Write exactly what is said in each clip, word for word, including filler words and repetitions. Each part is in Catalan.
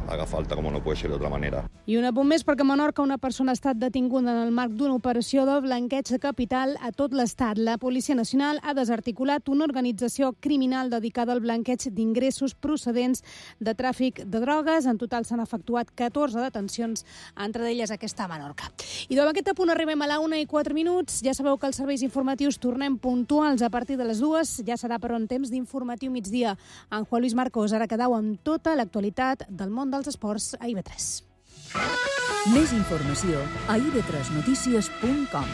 haga falta, como no puede ser de otra manera. I un apunt més perquè a Menorca una persona ha estat detinguda en el marc d'una operació de blanqueig de capital a tot l'estat. La Policia Nacional ha desarticulat una organització criminal dedicada al blanqueig d'ingressos procedents de tràfic de drogues. En total s'han efectuat catorze detencions, entre elles aquesta a Menorca. I amb aquest apunt arribem a la una i quatre minuts. Ja sabeu que els serveis informatius tornem puntuals a partir de les dues. Ja serà per on temps d'informatiu migdia. En Juan Luis Marcos, ara quedau amb tota l'actualitat del món dels esports a I V tres. Més informació a i ve tres notícies punt com.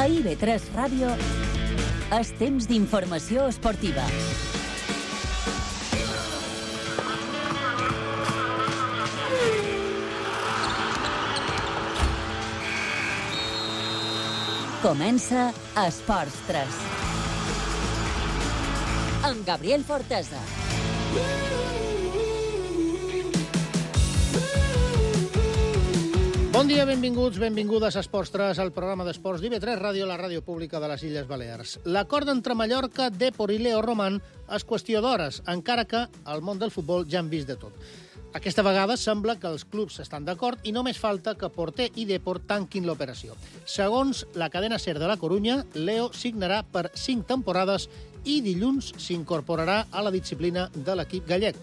A I ve tres Ràdio és temps d'informació esportiva. Comença Esports tres. Amb Gabriel Fortesa. Bon dia, benvinguts, benvingudes a Esports tres, el programa d'esports d'I V tres Ràdio, la ràdio pública de les Illes Balears. L'acord entre Mallorca, Depor i Leo Roman és qüestió d'hores, encara que al món del futbol ja han vist de tot. Aquesta vegada sembla que els clubs estan d'acord i només falta que Porter i Depor tanquin l'operació. Segons la cadena SER de la Corunya, Leo signarà per cinc temporades i dilluns s'incorporarà a la disciplina de l'equip gallec.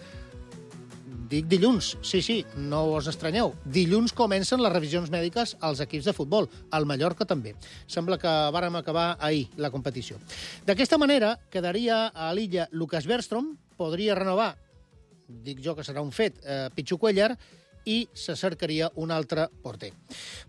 Dic dilluns, sí, sí, no us estranyeu. Dilluns comencen les revisions mèdiques als equips de futbol, al Mallorca també. Sembla que vàrem acabar ahir la competició. D'aquesta manera, quedaria a l'illa Lucas Bergström, podria renovar, dic jo que serà un fet, eh, Pichu Cuéllar, i se cercaria un altre porter.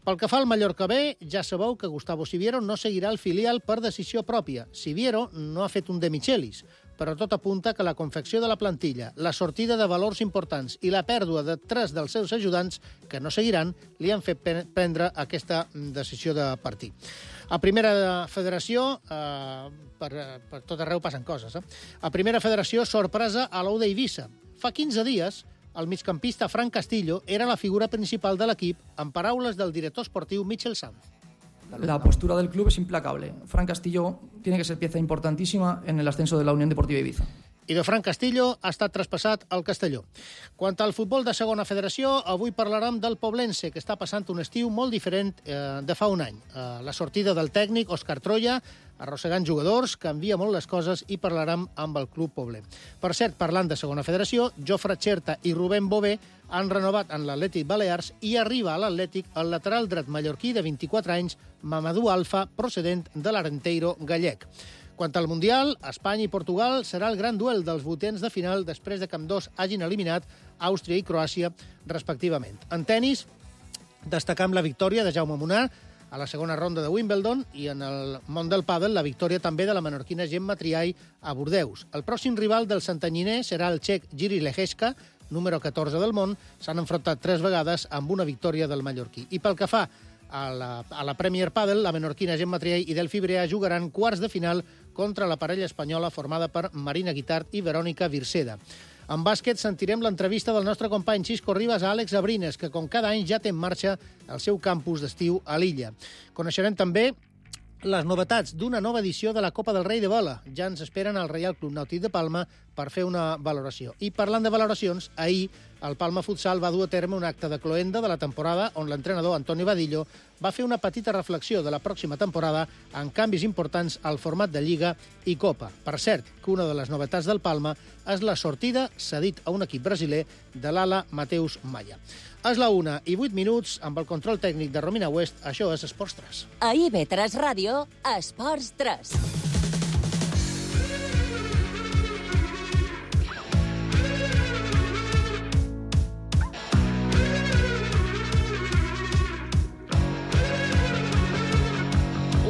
Pel que fa al Mallorca B, ja sabeu que Gustavo Siviero no seguirà el filial per decisió pròpia. Siviero no ha fet un de Michelis, però tot apunta que la confecció de la plantilla, la sortida de valors importants i la pèrdua de tres dels seus ajudants, que no seguiran, li han fet prendre aquesta decisió de partir. A Primera Federació, eh, per, per tot arreu passen coses, eh? A Primera Federació, sorpresa a l'Ou d'Eivissa. Fa quinze dies, el migcampista Fran Castillo era la figura principal de l'equip, en paraules del director esportiu Michel Sanz. La postura del club es implacable. Fran Castillo tiene que ser pieza importantísima en el ascenso de la Unión Deportiva Ibiza. I de Fran Castillo ha estat traspassat al Castelló. Quant al futbol de segona federació, avui parlarem del Poblense, que està passant un estiu molt diferent eh, de fa un any. Eh, la sortida del tècnic Òscar Troya, arrossegant jugadors, canvia molt les coses i parlarem amb el club pobler. Per cert, parlant de segona federació, Jofre Xerta i Rubén Bové han renovat en l'Atlètic Balears i arriba a l'Atlètic el lateral dret mallorquí de vint-i-quatre anys, Mamadou Alfa, procedent de l'Arenteiro gallec. Quant al Mundial, Espanya i Portugal serà el gran duel dels vuitens de final després de que ambdós hagin eliminat Àustria i Croàcia, respectivament. En tenis, destacam la victòria de Jaume Munar a la segona ronda de Wimbledon i en el món del pàdel la victòria també de la menorquina Gemma Triay a Bordeus. El pròxim rival del santanyiner serà el txec Jiří Lehečka, número catorze del món. S'han enfrontat tres vegades amb una victòria del mallorquí. I pel que fa a la, a la Premier Padel, la menorquina Gemma Triay i Delphi Brea jugaran quarts de final contra la parella espanyola formada per Marina Guitart i Verònica Virseda. En bàsquet sentirem l'entrevista del nostre company Xisco Ribas a Àlex Abrines, que com cada any ja té en marxa el seu campus d'estiu a l'illa. Coneixerem també les novetats d'una nova edició de la Copa del Rei de Vela. Ja ens esperen al Reial Club Nàutic de Palma per fer una valoració. I parlant de valoracions, ahir el Palma Futsal va dur a terme un acte de cloenda de la temporada on l'entrenador Antonio Vadillo va fer una petita reflexió de la pròxima temporada amb canvis importants al format de Lliga i Copa. Per cert, que una de les novetats del Palma és la sortida cedit a un equip brasiler de l'ala Mateus Maya. És la una i vuit minuts, amb el control tècnic de Romina West, això és Esports tres. A I ve tres Ràdio, Esports tres.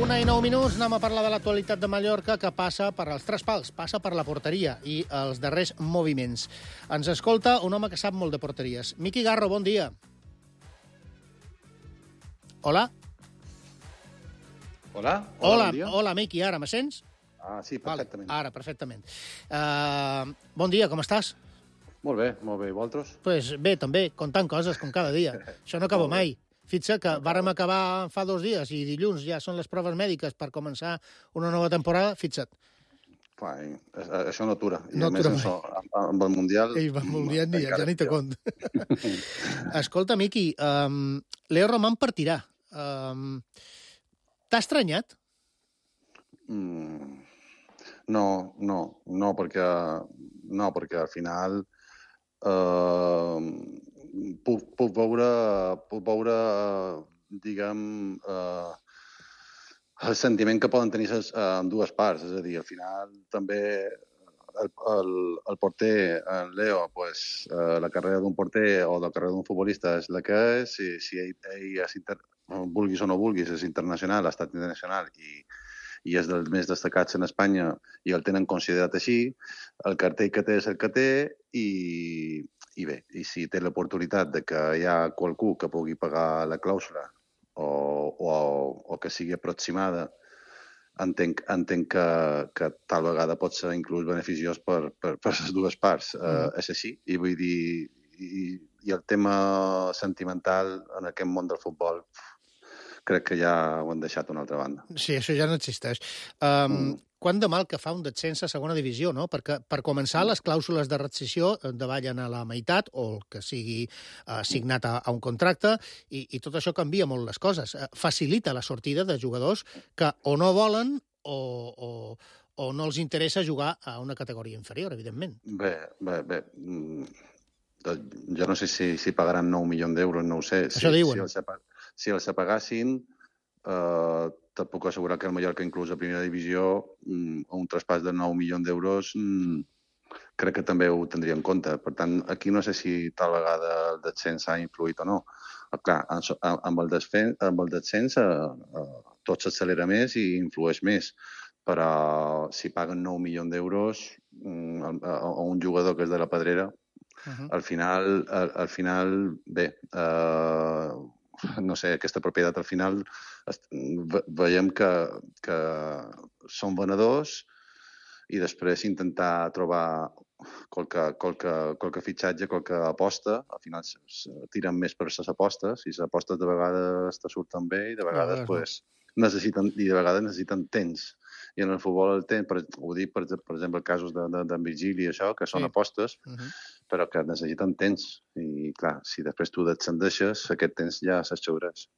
Una i nou minuts, anem a parlar de l'actualitat de Mallorca, que passa per els tres pals, passa per la porteria i els darrers moviments. Ens escolta un home que sap molt de porteries. Miqui Garro, bon dia. Hola? Hola? Hola, hola, Miqui, ara me sents? Ah, sí, perfectament. Vale, ara, perfectament. Uh, bon dia, com estàs? Molt bé, molt bé. I vosaltres? Pues bé, també, contant coses, com cada dia. Això no acaba mai. Fixa't que vàrem acabar fa dos dies i dilluns ja són les proves mèdiques per començar una nova temporada, fixa't. Clar, això no atura. I no a més, atura això, amb el Mundial... I amb el Mundial ni, ja ni te compte. Escolta, Miqui, um, Leo Román partirà. Um, T'ha estranyat? Mm, no, no, no, perquè, no, perquè al final eh, puc, puc veure, puc veure diguem, eh, el sentiment que poden tenir ses, eh, en dues parts. És a dir, al final també el, el, el porter, en Leo, pues, eh, la carrera d'un porter o la carrera d'un futbolista és la que és. Si, si ell, ell és inter... vulguis o no vulguis, és internacional, ha estat internacional i, i és dels més destacats en Espanya i el tenen considerat així, el cartell que té és el que té i, i bé, i si té l'oportunitat de que hi ha qualcú que pugui pagar la clàusula o, o, o que sigui aproximada, entenc, entenc que, que tal vegada pot ser inclús beneficiós per, per, per les dues parts. Mm. Uh, és així, i vull dir, i, i el tema sentimental en aquest món del futbol crec que ja ho han deixat a una altra banda. Sí, això ja no existeix. Um, mm. Quant de mal que fa un descens a segona divisió, no? Perquè, per començar, les clàusules de rescissió davallen a la meitat, o el que sigui uh, signat a, a un contracte, i, i tot això canvia molt les coses. Uh, facilita la sortida de jugadors que o no volen o, o, o no els interessa jugar a una categoria inferior, evidentment. Bé, bé, bé... Mm. Jo no sé si, si pagaran nou milions d'euros, no ho sé. Això si, diuen. Si els, si els pagassin, eh, te puc assegurar que el Mallorca, inclús a primera divisió, un traspàs de nou milions d'euros, crec que també ho tindria en compte. Per tant, aquí no sé si tal vegada el descens ha influït o no. Clar, amb el descens, amb el descens eh, tot s'accelera més i influeix més. Però si paguen nou milions d'euros a un jugador que és de la Pedrera, Uh-huh. Al final, al, al final bé, eh, no sé, aquesta propietat al final ve, veiem que, que són venedors i després intentar trobar qualque, qualque, qualque fitxatge, qualque aposta, al final tiren més per les apostes i les apostes de vegades te surten bé i de vegades, no, pues, necessiten, i de vegades necessiten temps. I en el futbol el temps, per, ho dic per, per exemple, casos de, de, de Virgili i això, que són sí. apostes, uh-huh. però que necessiten temps. I, clar, si després tu descendeixes, aquest temps ja s'aixeuràs.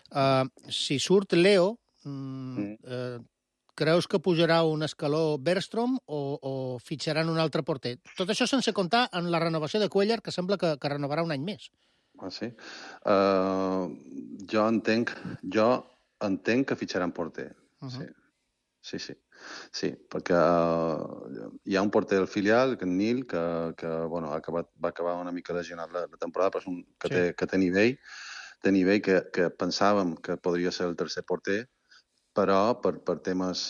Uh, si surt Leo, mm, mm. Uh, creus que pujarà un escaló Bergstrom o, o fitxaran un altre porter? Tot això sense comptar en la renovació de Cuéllar, que sembla que, que renovarà un any més. Ah, sí? Uh, jo entenc, jo entenc que fitxaran porter, uh-huh. sí. Sí, sí, sí, perquè uh, hi ha un porter del filial, que en Nil, que, que bueno, ha acabat, va acabar una mica lesionat la, la temporada, però és un, que, sí. té, que té nivell, té nivell que, que pensàvem que podria ser el tercer porter, però per, per temes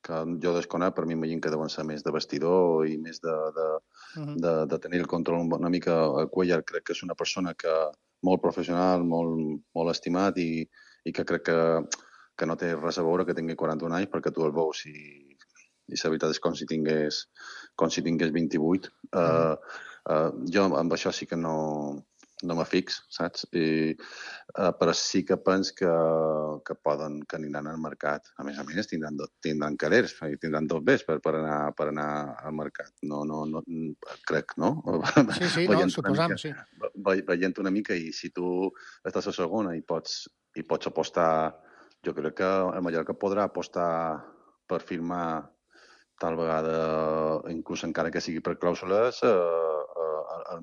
que jo desconec, per mi m'imagino que deuen ser més de vestidor i més de, de, uh-huh. de, de tenir el control una mica. A Cuéllar crec que és una persona que molt professional, molt, molt estimat i, i que crec que que no té res a veure que tingui quaranta-un anys perquè tu el veus i, i la veritat és com si tingués, com si tingués vint-i-vuit. Mm. Uh, uh, jo amb això sí que no, no me fix, saps? I, uh, però sí que pens que, que poden, que aniran al mercat. A més a més, tindran, tindran calers, tindran tot bé per, per, anar, per anar al mercat. No, no, no, crec, no? Sí, sí, no, suposam, sí. Ve, veient una mica i si tu estàs a segona i pots, i pots apostar. Jo crec que el Mallorca podrà apostar per firmar tal vegada, inclús encara que sigui per clàusules, el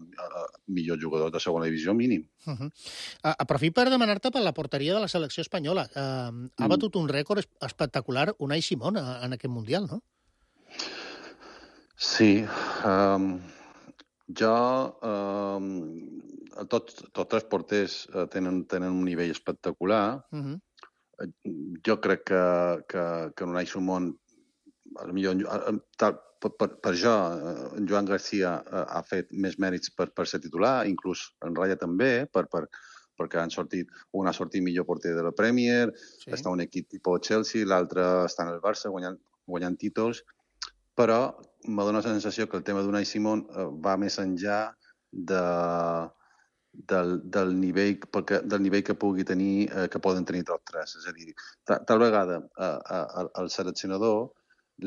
millor jugador de segona divisió mínim. Uh-huh. Uh, aprofit per demanar-te per la porteria de la selecció espanyola. Uh, ha mm. batut un rècord espectacular Unai Simón en aquest Mundial, no? Sí. Um, jo... Um, tots, tots els porters tenen, tenen un nivell espectacular. Uh-huh. Jo crec que, que, que Unai Simón, millor, per, per, per jo, en Joan Garcia ha fet més mèrits per, per ser titular, inclús en Raya també, per, per, perquè han sortit, un ha sortit millor porter de la Premier, sí. Està un equip tipus Chelsea, l'altre està en el Barça guanyant, guanyant títols, però m'ha donat la sensació que el tema d'Unai Simón va més enllà de... Del, del, nivell, perquè, del nivell que pugui tenir, eh, que poden tenir tots tres. És a dir, tal, tal vegada eh, al seleccionador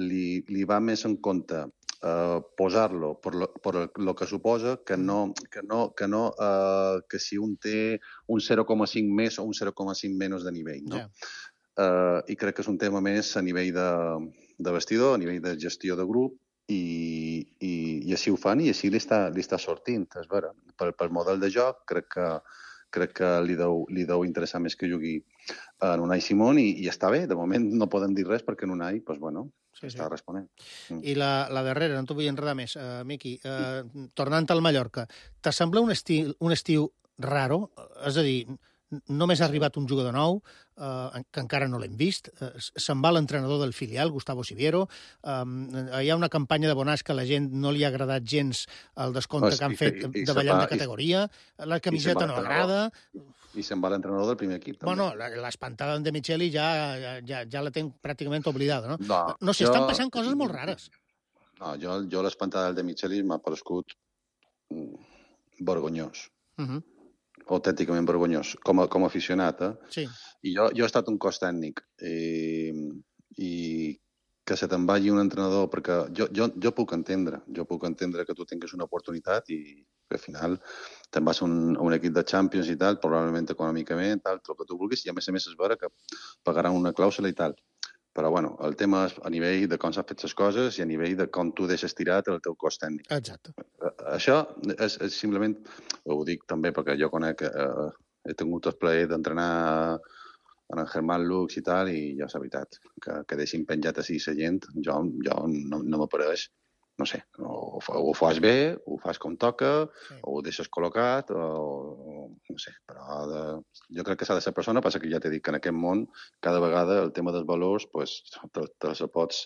li, li va més en compte eh, posar-lo per lo, per lo que suposa que no, que no, que, no eh, que si un té un zero coma cinc més o un zero coma cinc menys de nivell. No? Yeah. Eh, I crec que és un tema més a nivell de, de vestidor, a nivell de gestió de grup, I, i, i així ho fan i així li està, li està sortint, és vera. Pel, pel model de joc crec que, crec que li, deu, li deu interessar més que jugui en Unai Simón i, i està bé, de moment no podem dir res perquè en Unai pues, bueno, sí, està sí. responent. Mm. I la, la darrera, no t'ho vull enredar més, uh, Miqui, uh, tornant al Mallorca, t'assembla un estiu, un estiu raro? És a dir, només ha arribat un jugador nou, eh, que encara no l'hem vist, eh, se'n va l'entrenador del filial, Gustavo Siviero, eh, hi ha una campanya de Bonàs que a la gent no li ha agradat gens el descompte no, que han fet i, i davallant de categoria, la camiseta no agrada... I se'n va l'entrenador del primer equip, també. Bueno, l'espantada de Micheli ja, ja, ja la tenc pràcticament oblidada, no? No, no sé, jo... estan passant coses molt rares. No, jo, jo l'espantada del de Micheli m'ha parescut vergonyós. Uh -huh. autènticament vergonyós, com a, com a aficionat. Eh? Sí. I jo, jo he estat un cos tècnic i, i que se te'n vagi un entrenador, perquè jo, jo, jo puc entendre, jo puc entendre que tu tinguis una oportunitat i que al final te'n vas a un, a un equip de Champions i tal, probablement econòmicament, tal, tot el que tu vulguis, i a més a més és vera que pagaran una clàusula i tal. Però, bueno, el tema és a nivell de com s'han fet les coses i a nivell de com tu deixes tirat el teu cos tècnic. Exacte. Això és, és simplement, ho dic també perquè jo conec, eh, he tingut el plaer d'entrenar en el Germán Lux i tal, i ja és veritat, que, que deixin penjat així la gent, jo, jo no, no m'apareix. No sé, o, o ho fas bé, ho fas com toca, sí. O ho deixes col·locat, o, o no sé, però de, jo crec que s'ha de ser persona, passa que ja t'he dit que en aquest món cada vegada el tema dels valors pues, te, te se pots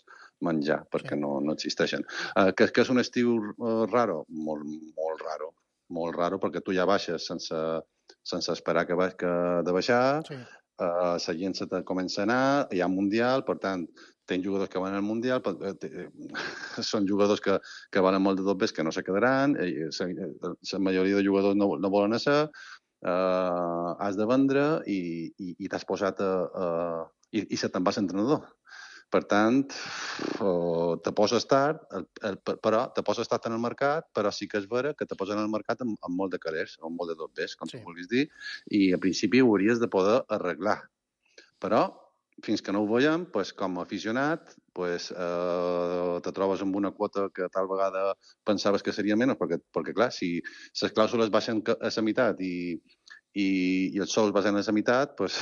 menjar, perquè sí. no, no existeixen. Uh, que, que és un estiu uh, raro? Molt, molt raro, molt raro, perquè tu ja baixes sense, sense esperar que, baix, que de baixar, sí. uh, la gent se te comença a anar, hi ha Mundial, per tant, tens jugadors que van al Mundial, són jugadors que, que valen molt de tot bé, que no se quedaran, la majoria de jugadors no, no volen ser, uh, has de vendre i, i, i t'has posat a... a i, i se te'n vas entrenador. Per tant, uh, te poses tard, el, el, però te poses tard en el mercat, però sí que és vera que te posen al mercat amb, amb molt de calés, amb molt de tot bé, com sí. tu vulguis dir, i a principi ho hauries de poder arreglar. Però fins que no ho veiem, pues, com a aficionat, pues, eh, te trobes amb una quota que tal vegada pensaves que seria menys, perquè, perquè clar, si les clàusules baixen a la meitat i, i, i els sous baixen a la meitat, pues,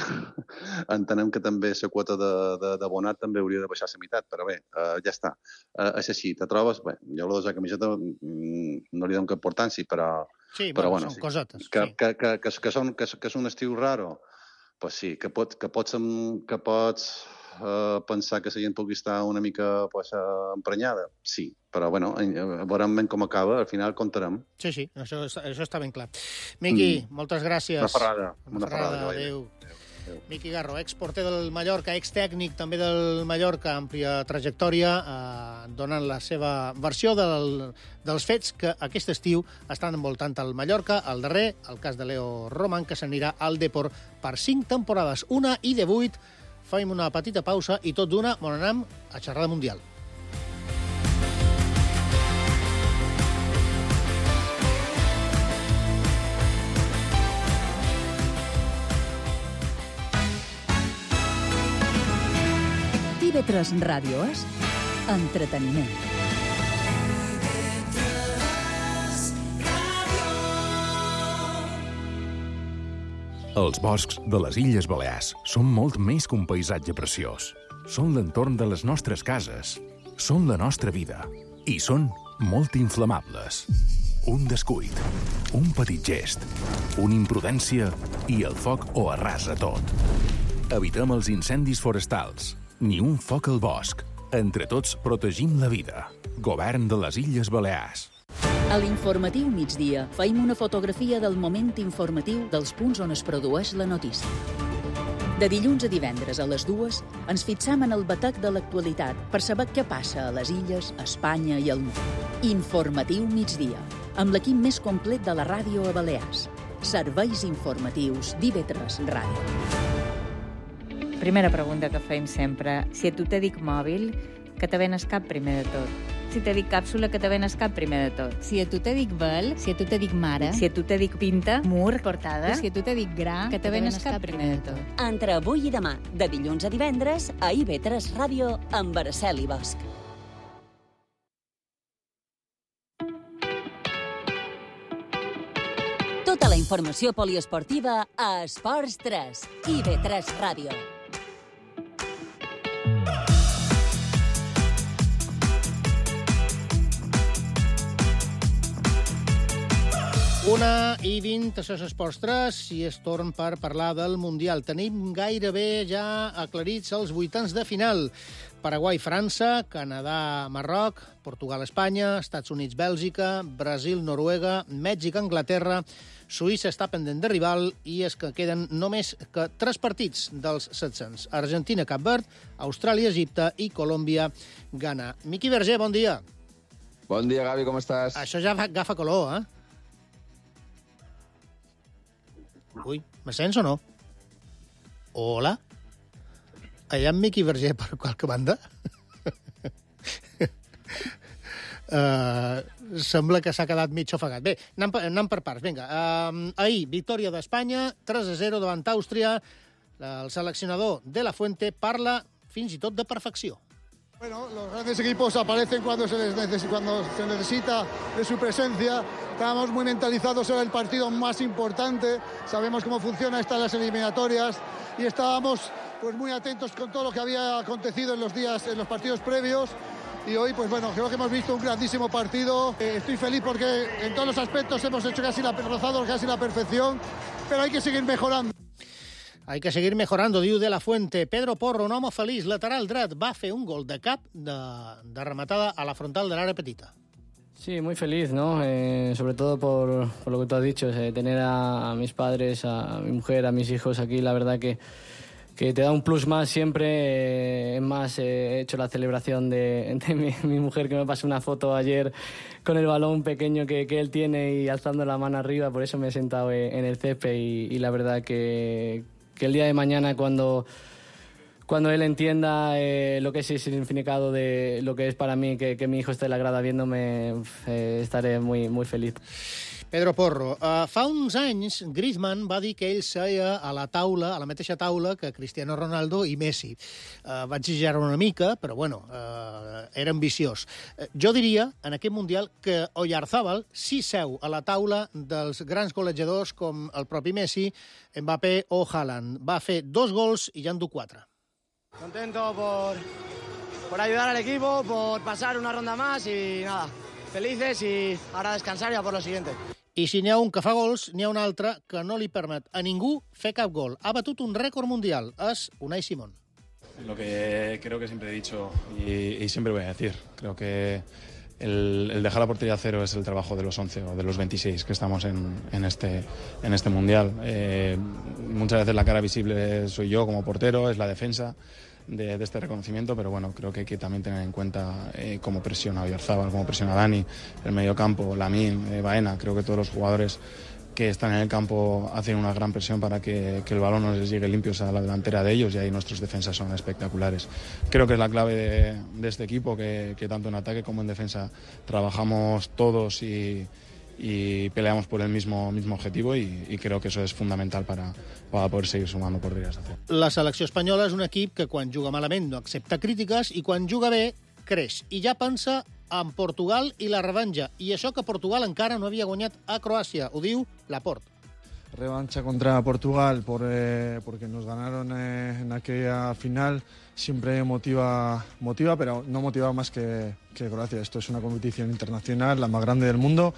entenem que també la quota de, de, de bonat també hauria de baixar a la meitat, però bé, eh, ja està. Eh, és així, te trobes... Bé, jo la de la camiseta mm, no li dono cap importància, però... Sí, però, bueno, bueno, són sí, cosetes. Que, sí. que, que, que, que, són, que, que és un estiu raro. Pues sí, que, pot, que pots, que pots uh, pensar que la gent pugui estar una mica pues, uh, emprenyada. Sí, però bueno, veurem ben com acaba, al final comptarem. Sí, sí, això, això està ben clar. Miqui, mm. moltes gràcies. Una ferrada. Una, una ferrada, ferrada adéu. adéu. Miqui Garro, exporter del Mallorca, ex-tècnic també del Mallorca, àmplia trajectòria, eh, donant la seva versió del, dels fets que aquest estiu estan envoltant el Mallorca, el darrer, el cas de Leo Roman, que s'anirà al Depor per cinc temporades, una i de vuit. Fem una petita pausa i tot d'una on anem a xerrar de Mundial. T V tres Ràdio és entreteniment. Els boscs de les Illes Balears són molt més que un paisatge preciós. Són l'entorn de les nostres cases, són la nostra vida i són molt inflamables. Un descuit, un petit gest, una imprudència i el foc ho arrasa tot. Evitem els incendis forestals. Ni un foc al bosc. Entre tots protegim la vida. Govern de les Illes Balears. A l'informatiu migdia feim una fotografia del moment informatiu dels punts on es produeix la notícia. De dilluns a divendres a les dues ens fixam en el batec de l'actualitat per saber què passa a les illes, a Espanya i al món. Informatiu migdia, amb l'equip més complet de la ràdio a Balears. Serveis informatius d'I V tres Ràdio. Primera pregunta que feim sempre. Si a tu te dic mòbil, que te venes cap primer de tot. Si te dic càpsula, que te venes cap primer de tot. Si a tu te dic vel, si a tu te dic mare, si a tu te dic pinta, mur, portada, si a tu te dic gra, que te venes cap primer de tot. Entre avui i demà, de dilluns a divendres, a I V tres Ràdio, amb Araceli Bosch. Tota la informació poliesportiva a Esports tres, I V tres Ràdio. Una i vint, això és Esports tres, i és torn per parlar del Mundial. Tenim gairebé ja aclarits els vuitens de final. Paraguai-França, Canadà-Marroc, Portugal-Espanya, Estats Units-Bèlgica, Brasil-Noruega, Mèxic-Anglaterra, Suïssa està pendent de rival i és que queden només que tres partits dels set-cents. Argentina-Cap Verd, Austràlia-Egipte i Colòmbia-Ghana. Miqui Verger, bon dia. Bon dia, Gavi, com estàs? Això ja agafa color, eh? Ui, me sents o no? Hola? Hi ha Miqui Verger per qualque banda? uh, sembla que s'ha quedat mig ofegat. Bé, anem per, anem per parts. Vinga, uh, ahir, victòria d'Espanya, tres a zero davant Àustria. El seleccionador de la Fuente parla fins i tot de perfecció. Bueno, los grandes equipos aparecen cuando se, les neces- cuando se necesita de su presencia. Estábamos muy mentalizados, era el partido más importante. Sabemos cómo funciona estas las eliminatorias y estábamos pues muy atentos con todo lo que había acontecido en los días, en los partidos previos. Y hoy, pues bueno, creo que hemos visto un grandísimo partido. Eh, estoy feliz porque en todos los aspectos hemos hecho casi la, rozado casi la perfección, pero hay que seguir mejorando. Hay que seguir mejorando, diu de la Fuente. Pedro Porro, un home feliç, lateral dret, va fer un gol de cap de, de rematada a la frontal de l'àrea petita. Sí, muy feliz, ¿no? Eh, sobre todo por, por lo que tú has dicho, eh, tener a, a mis padres, a, a mi mujer, a mis hijos aquí, la verdad que, que te da un plus más siempre. Eh, es más, eh, he hecho la celebración de, de mi, mi mujer, que me pasó una foto ayer con el balón pequeño que, que él tiene y alzando la mano arriba, por eso me he sentado en el césped y, y la verdad que, que el día de mañana cuando... Cuando él entienda eh, lo que es el significado de lo que es para mí que, que mi hijo esté en la grada viéndome, eh, estaré muy, muy feliz. Pedro Porro, uh, fa uns anys Griezmann va dir que ell seia a la taula, a la mateixa taula que Cristiano Ronaldo i Messi. Uh, va exagerar una mica, però bueno, uh, era ambiciós. Uh, jo diria, en aquest Mundial, que Oyarzabal sí seu a la taula dels grans golejadors com el propi Messi, Mbappé o Haaland. Va fer dos gols i ja en du quatre. Contento por, por ayudar al equipo, por pasar una ronda más y nada, felices y ahora descansar ya por lo siguiente. I si n'hi ha un que fa gols, n'hi ha un altre que no li permet a ningú fer cap gol. Ha batut un rècord mundial, és Unai Simón. Lo que creo que siempre he dicho y, y siempre voy a decir, creo que el, el dejar la portería a cero es el trabajo de los once o de los veintiséis que estamos en, en, este, en este mundial. Eh, muchas veces la cara visible soy yo como portero, es la defensa de, de este reconocimiento, pero bueno, creo que hay que también tener en cuenta eh, cómo presiona Oyarzabal, cómo presiona Dani, el mediocampo, Lamine, eh, Baena. Creo que todos los jugadores que están en el campo hacen una gran presión para que, que el balón no les llegue limpios a la delantera de ellos, y ahí nuestros defensas son espectaculares. Creo que es la clave de, de este equipo, que, que tanto en ataque como en defensa trabajamos todos y, y peleamos por el mismo, mismo objetivo, y, y creo que eso es fundamental para, para poder seguir sumando por días. La selecció espanyola és un equip que quan juga malament no accepta crítiques i quan juga bé creix. I ja pensa en Portugal i la revanxa. I això que Portugal encara no havia guanyat a Croàcia. Ho diu Laporte. Revancha contra Portugal por, eh, porque nos ganaron eh, en aquella final. Siempre motiva, motiva, pero no motiva más que, que Croacia. Esto es una competición internacional, la más grande del mundo.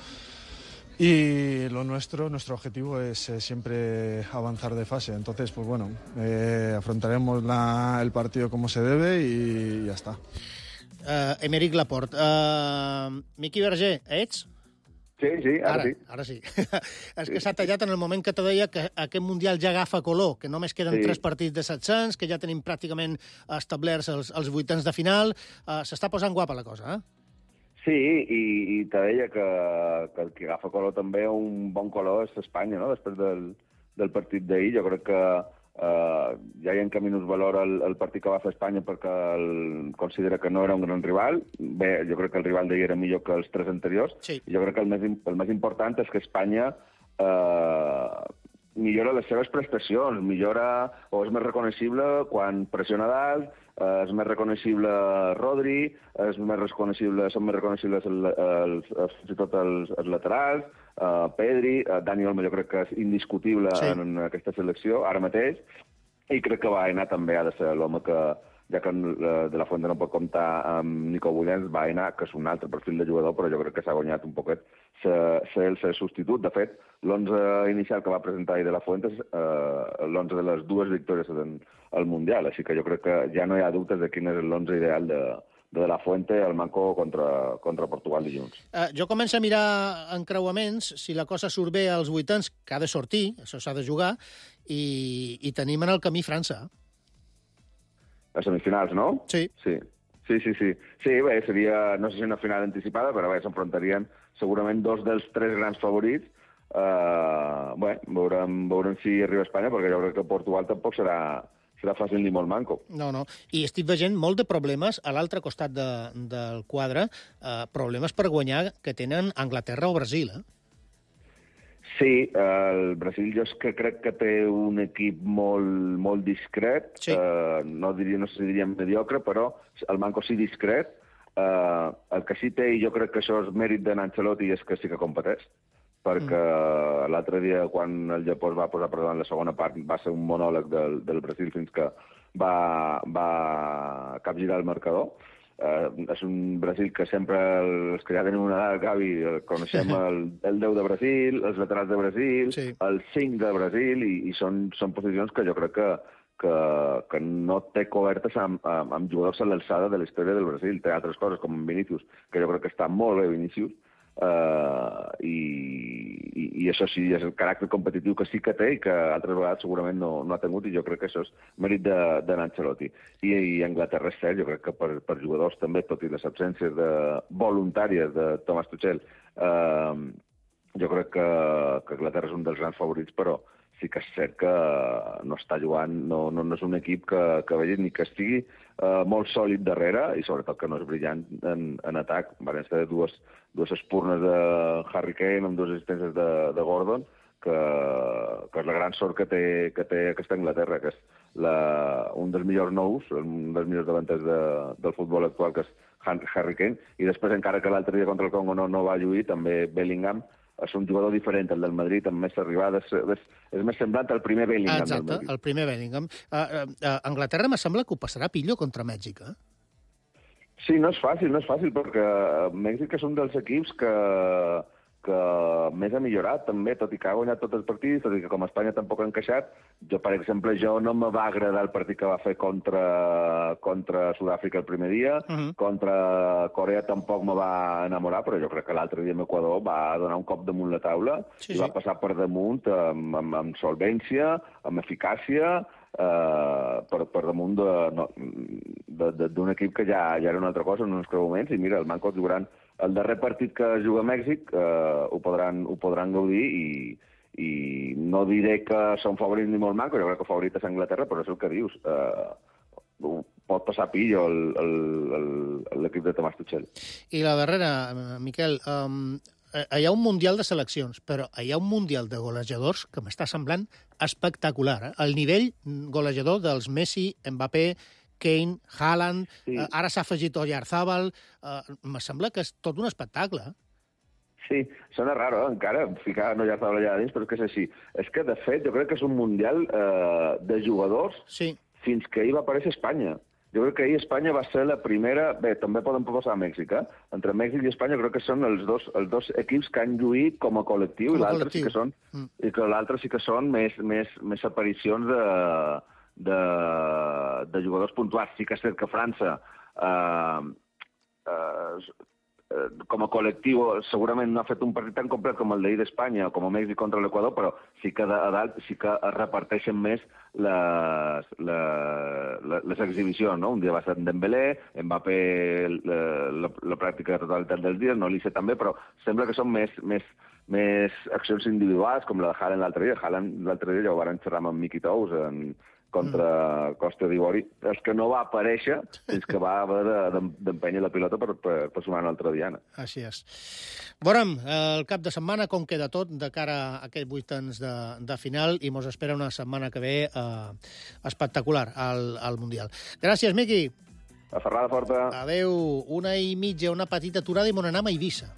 Y lo nuestro, nuestro objetivo es eh, siempre avanzar de fase. Entonces, pues bueno, eh, afrontaremos la, el partido como se debe y ya está. Uh, Emeric Laporte. Uh, Miqui Verger, ets? Sí, sí, ara, ara sí. Ara sí. És que s'ha tallat en el moment que te deia que aquest Mundial ja agafa color, que només queden Sí. tres partits de set-cents, que ja tenim pràcticament establerts els, els vuitens de final. Uh, S'està posant guapa la cosa, eh? Sí, i, i te deia que, que el que agafa color també un bon color és Espanya, no?, després del, del partit d'ahir. Jo crec que Uh, ja hi ha que minus valor el, el partit que va fer Espanya perquè el, considera que no era un gran rival. Bé, jo crec que el rival d'ahir era millor que els tres anteriors. Sí. I jo crec que el més, el més important és que Espanya uh, millora les seves prestacions, millora o és més reconeixible quan pressiona dalt, uh, és més reconeixible Rodri, és més reconeixible, són més reconeixibles els, els, els, fins i tot els, els laterals, Uh, Pedri, uh, Dani Olmo jo crec que és indiscutible sí. en, en aquesta selecció, ara mateix, i crec que Baena també ha de ser l'home que, ja que uh, de la Fuente no pot comptar amb Nico Williams, Baena, que és un altre perfil de jugador, però jo crec que s'ha guanyat un poquet ser, ser el ser substitut. De fet, l'onze inicial que va presentar ahir de la Fuente és uh, l'onze de les dues victòries al Mundial, així que jo crec que ja no hi ha dubtes de quin és l'onze ideal de, de la Fuente al Manco contra, contra Portugal dilluns. Uh, jo començo a mirar encreuaments, si la cosa surt bé als vuitens, que ha de sortir, això s'ha de jugar, i, i tenim en el camí França. A semifinals, no? Sí. Sí, sí, sí. Sí, sí bé, seria, no sé si una final anticipada, però bé, s'enfrontarien segurament dos dels tres grans favorits. Uh, bé, veurem, veurem si arriba a Espanya, perquè jo crec que Portugal tampoc serà... serà fàcil ni molt manco. No, no. I estic veient molt de problemes a l'altre costat de, del quadre, eh, problemes per guanyar que tenen Anglaterra o Brasil, eh? Sí, el Brasil jo és que crec que té un equip molt, molt discret, sí. eh, no, diria, no sé si diríem mediocre, però el manco sí discret. Eh, el que sí té, i jo crec que això és mèrit de Ancelotti, és que sí que competeix, perquè mm. l'altre dia, quan el Japó es va posar per davant la segona part, va ser un monòleg del, del Brasil fins que va, va capgirar el marcador. Uh, és un Brasil que sempre, els que ja tenim una edat, Gavi, coneixem el, el deu de Brasil, els laterals de Brasil, sí. el cinc de Brasil, i, i són, són posicions que jo crec que, que, que no té cobertes amb, amb, amb jugadors a l'alçada de la història del Brasil. Té altres coses, com Vinícius, que jo crec que està molt bé Vinícius, Uh, i, i, i això sí, és el caràcter competitiu que sí que té i que altres vegades segurament no, no ha tingut, i jo crec que això és mèrit de, de Ancelotti. I, i Anglaterra és cert, jo crec que per, per jugadors també, tot i les absències de, voluntàries de Thomas Tuchel, uh, jo crec que, que Anglaterra és un dels grans favorits, però sí que és cert que no està jugant, no, no, no és un equip que, que vegi ni que estigui uh, molt sòlid darrere, i sobretot que no és brillant en, en atac. Van ser dues, dues espurnes de Harry Kane amb dues assistències de, de Gordon, que, que és la gran sort que té, que té aquesta Anglaterra, que és la, un dels millors nous, un dels millors davanters de, del futbol actual, que és Harry Kane, i després, encara que l'altre dia contra el Congo no, no va lluir, també Bellingham és un jugador diferent, el del Madrid, amb més arribades, és, és més semblant al primer Bellingham. Exacte, del Madrid. el primer Bellingham. Uh, uh, uh, Anglaterra me sembla que ho passarà pillo contra Mèxic, eh? Sí, no és fàcil, no és fàcil, perquè Mèxic és un dels equips que, que més ha millorat, també, tot i que ha guanyat tots els partits, tot i que com a Espanya tampoc ha encaixat. Jo, per exemple, jo no me va agradar el partit que va fer contra, contra Sud-àfrica el primer dia, uh -huh. contra Corea tampoc me va enamorar, però jo crec que l'altre dia amb Equador va donar un cop damunt la taula, sí, i sí. va passar per damunt amb, amb, amb solvència, amb eficàcia, Uh, per, per damunt d'un de, de, de, equip que ja, ja era una altra cosa en uns creuaments, i mira, el Manco jugaran el darrer partit que juga a Mèxic, uh, ho, podran, ho podran gaudir, i, i no diré que són favorits ni molt Manco, jo crec que favorit és Anglaterra, però és el que dius, uh, pot passar pillo l'equip de Tomàs Tuchel. I la darrera, Miquel, um, hi ha un Mundial de seleccions, però hi ha un Mundial de golejadors que m'està semblant espectacular. Eh? El nivell golejador dels Messi, Mbappé, Kane, Haaland, sí. eh, ara s'ha afegit Oyarzábal, eh, me sembla que és tot un espectacle. Sí, sona raro, eh? encara, ficar Oyarzábal allà dins, però és que és així. És que, de fet, jo crec que és un Mundial eh, de jugadors sí. fins que ahir va aparèixer Espanya. Jo crec que ahir Espanya va ser la primera... Bé, també poden posar a Mèxic, eh? Entre Mèxic i Espanya crec que són els dos, els dos equips que han lluït com a col·lectiu, com a i l'altre sí que són, mm. i que l'altre sí que són més, més, més aparicions de, de, de jugadors puntuals. Sí que és cert que França eh, eh, com a col·lectiu segurament no ha fet un partit tan complet com el d'ahir d'Espanya o com a Mèxic contra l'Equador, però sí que a dalt sí que es reparteixen més les, les, les exhibicions, no? Un dia va ser en Dembélé, Mbappé la, la, la pràctica totalitat dels dies, no Olise també, però sembla que són més, més, més accions individuals, com la de Haaland l'altre dia. Haaland l'altre dia ja ho van xerrar amb Miqui Tous en contra Costa d'Ivori, és que no va aparèixer fins que va haver d'empènyer la pilota per, per, per sumar una altra diana. Així és. Veurem el cap de setmana com queda tot de cara a aquests vuitens de, de final i mos espera una setmana que ve eh, espectacular al, al Mundial. Gràcies, Miqui. A ferrada forta. Adéu. Una i mitja, una petita aturada i mon anam a Eivissa.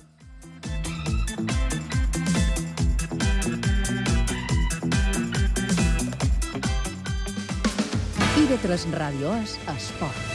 I ve tres Ràdio és Esport.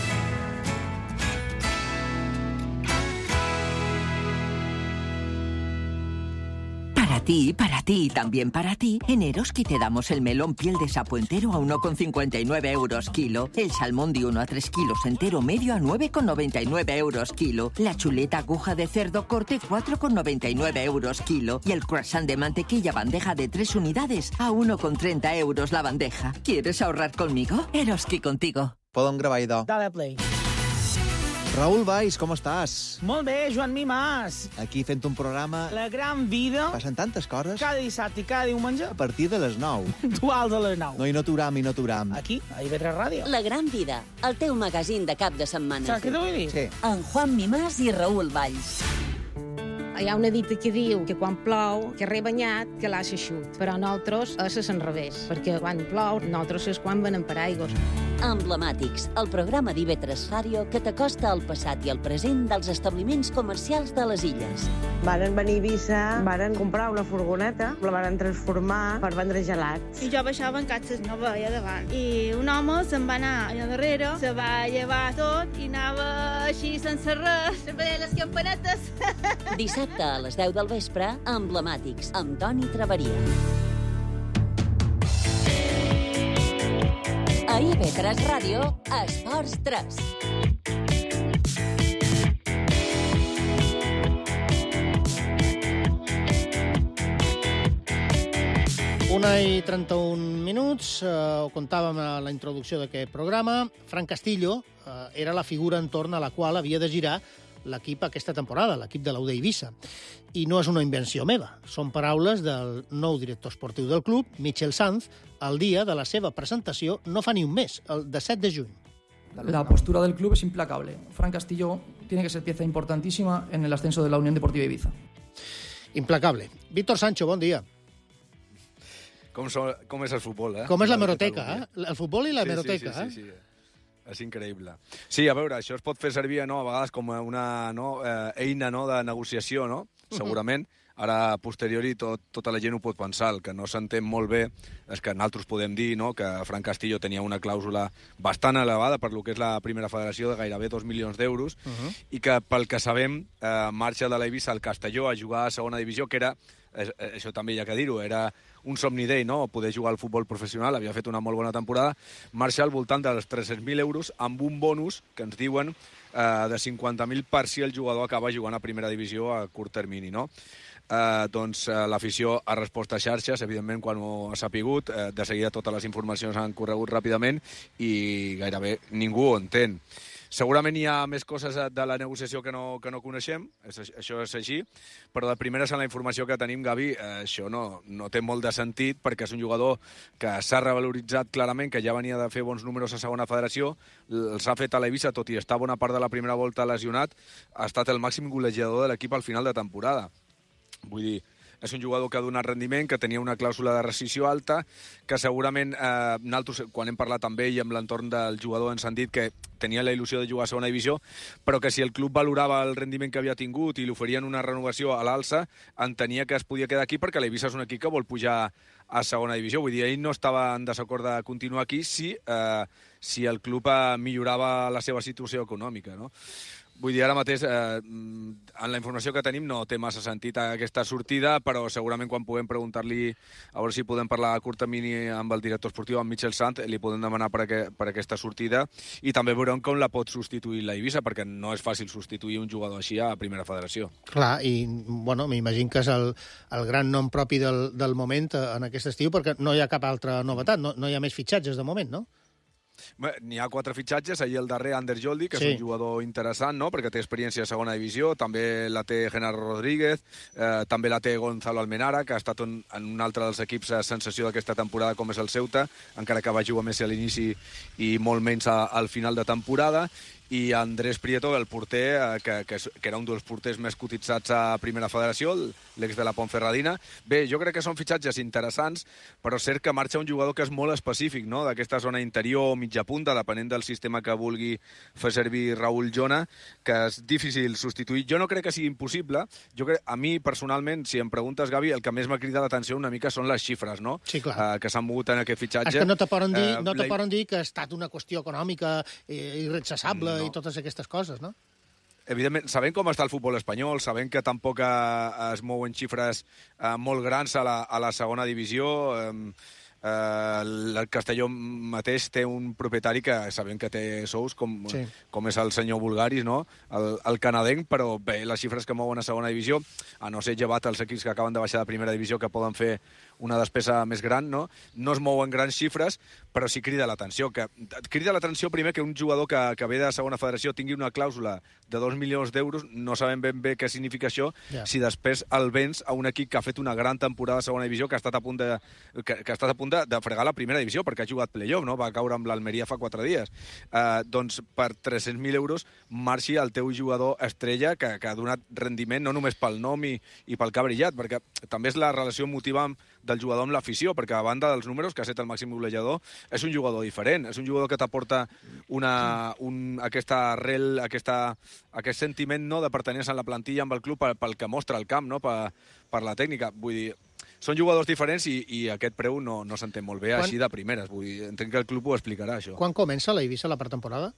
Para ti, para ti y también para ti, en Eroski te damos el melón piel de sapo entero a uno con cincuenta y nueve euros kilo, el salmón de uno a tres kilos entero medio a nueve con noventa y nueve euros kilo, la chuleta aguja de cerdo corte cuatro con noventa y nueve euros kilo y el croissant de mantequilla bandeja de tres unidades a uno con treinta euros la bandeja. ¿Quieres ahorrar conmigo? Eroski contigo. Podem gravar, idò. Dale play. Raül Valls, com estàs? Molt bé, Joan Mimàs. Aquí fent un programa... La gran vida. Passen tantes coses. Cada dissabte i cada diumenge. A partir de les nou. Duals a les nou. No, i no t'uram, i no t'uram. Aquí, a I V tres Ràdio. La gran vida, el teu magazín de cap de setmana. Saps què t'ho vull dir? Sí. En Juan Mimàs i Raül Valls. Hi ha una dita que diu que quan plou, que re banyat, que l'ha eixut. Però nosaltres és al revés, perquè quan plou, nosaltres és quan venem per aigües. Emblemàtics, el programa d'I V tres Ràdio que t'acosta al passat i al present dels establiments comercials de les illes. Varen venir a Eivissa, varen comprar una furgoneta, la varen transformar per vendre gelats. I jo baixava en catxes, no veia davant. I un home se'n va anar allà darrere, se va llevar tot i anava així sense res, se veia les campanetes. Dissabte a les deu del vespre, Emblemàtics, amb Toni Traveria. A I V tres Ràdio, Esports tres. Una i trenta-un minuts, eh, ho contàvem a la introducció d'aquest programa. Fran Castillo eh, era la figura entorn a la qual havia de girar l'equip aquesta temporada, l'equip de l'U D Eivissa. I no és una invenció meva, són paraules del nou director esportiu del club, Michel Sanz, el dia de la seva presentació, no fa ni un mes, el disset de juny. La postura del club es implacable. Fran Castillo tiene que ser pieza importantísima en el ascenso de la Unión Deportiva Ibiza. Implacable. Víctor Sancho, bon dia. Com, so, com és el futbol, eh? Com és la meroteca, eh? El futbol i la sí, meroteca, sí, sí, sí, eh? sí. És increïble. Sí, a veure, això es pot fer servir no, a vegades com una no, eh, eina no, de negociació, no? Segurament. Ara, a posteriori, tot, tota la gent ho pot pensar. El que no s'entén molt bé és que nosaltres podem dir no, que Fran Castillo tenia una clàusula bastant elevada per lo que és la primera federació de gairebé dos milions d'euros uh -huh. i que, pel que sabem, eh, marxa de l'Eivissa al Castelló a jugar a segona divisió, que era, eh, això també hi ha que dir-ho, era un somni d'ell, no? Poder jugar al futbol professional, havia fet una molt bona temporada, marxa al voltant dels tres-cents mil euros amb un bonus que ens diuen eh, de cinquanta mil per si el jugador acaba jugant a primera divisió a curt termini, no? Eh, doncs eh, l'afició ha respost a xarxes, evidentment quan ho ha sapigut, eh, de seguida totes les informacions han corregut ràpidament i gairebé ningú ho entén. Segurament hi ha més coses de la negociació que no, que no coneixem, això és així, però de primeres en la informació que tenim, Gavi, eh, això no, no té molt de sentit perquè és un jugador que s'ha revaloritzat clarament, que ja venia de fer bons números a segona federació, els ha fet a l'Eivissa, tot i estar bona part de la primera volta lesionat, ha estat el màxim golejador de l'equip al final de temporada. Vull dir, és un jugador que ha donat rendiment, que tenia una clàusula de rescissió alta, que segurament eh, nosaltres, quan hem parlat amb ell i amb l'entorn del jugador, ens han dit que tenia la il·lusió de jugar a segona divisió, però que si el club valorava el rendiment que havia tingut i li oferien una renovació a l'alça, entenia que es podia quedar aquí perquè l'Eivissa és un equip que vol pujar a segona divisió. Vull dir, ell no estava en desacord de continuar aquí si, eh, si el club eh, millorava la seva situació econòmica, no? Vull dir, ara mateix, eh, en la informació que tenim no té massa sentit aquesta sortida, però segurament quan puguem preguntar-li a veure si podem parlar a curt termini amb el director esportiu, amb Michel Sant, li podem demanar per, aqu per aquesta sortida i també veurem com la pot substituir la Eivissa, perquè no és fàcil substituir un jugador així a Primera Federació. Clar, i bueno, m'imagino que és el, el gran nom propi del, del moment en aquest estiu, perquè no hi ha cap altra novetat, no, no hi ha més fitxatges de moment, no? N'hi ha quatre fitxatges, ahir el darrer Ander Joldi, que sí. És un jugador interessant, no?, perquè té experiència a segona divisió, també la té Genaro Rodríguez, eh, també la té Gonzalo Almenara, que ha estat un, en un altre dels equips a sensació d'aquesta temporada, com és el Ceuta, encara que va jugar més a l'inici i molt menys a, al final de temporada, i Andrés Prieto, el porter, eh, que, que, que era un dels porters més cotitzats a Primera Federació, l'ex de la Ponferradina. Bé, jo crec que són fitxatges interessants, però és cert que marxa un jugador que és molt específic, no?, d'aquesta zona interior o mitja punta, depenent del sistema que vulgui fer servir Raúl Jona, que és difícil substituir. Jo no crec que sigui impossible. Jo crec, a mi, personalment, si em preguntes, Gavi, el que més m'ha cridat l'atenció una mica són les xifres, no?, sí, clar. Eh, que s'han mogut en aquest fitxatge. És que no te poden dir, eh, no te la... poden dir que ha estat una qüestió econòmica eh, irrechassable, no. I totes aquestes coses, no? Evidentment, sabent com està el futbol espanyol, sabent que tampoc eh, es mouen xifres eh, molt grans a la, a la segona divisió, eh, eh, el Castelló mateix té un propietari que sabem que té sous, com, sí. com és el senyor Bulgaris, no?, el, el canadenc, però bé, les xifres que mouen a segona divisió, a no ser llevat els equips que acaben de baixar de primera divisió, que poden fer una despesa més gran, no? No es mouen grans xifres, però sí crida l'atenció. Que crida l'atenció primer que un jugador que, que ve de segona federació tingui una clàusula de dos milions d'euros, no sabem ben bé què significa això, yeah. si després el vens a un equip que ha fet una gran temporada a segona divisió, que ha estat a punt de, que, que ha estat a punt de, de fregar la primera divisió, perquè ha jugat playoff, no? Va caure amb l'Almeria fa quatre dies. Uh, doncs per tres-cents mil euros marxi el teu jugador estrella, que, que ha donat rendiment no només pel nom i, i pel que ha brillat, perquè també és la relació emotiva amb del jugador amb l'afició, perquè a banda dels números, que ha estat el màxim golejador, és un jugador diferent, és un jugador que t'aporta una, un, aquesta arrel, aquesta, aquest sentiment, no?, de pertenença a la plantilla amb el club pel, pel que mostra el camp, no?, per, per la tècnica. Vull dir, són jugadors diferents i, i aquest preu no, no s'entén molt bé. Quan... així de primeres. Vull dir, entenc que el club ho explicarà, això. Quan comença la Eivissa la pretemporada?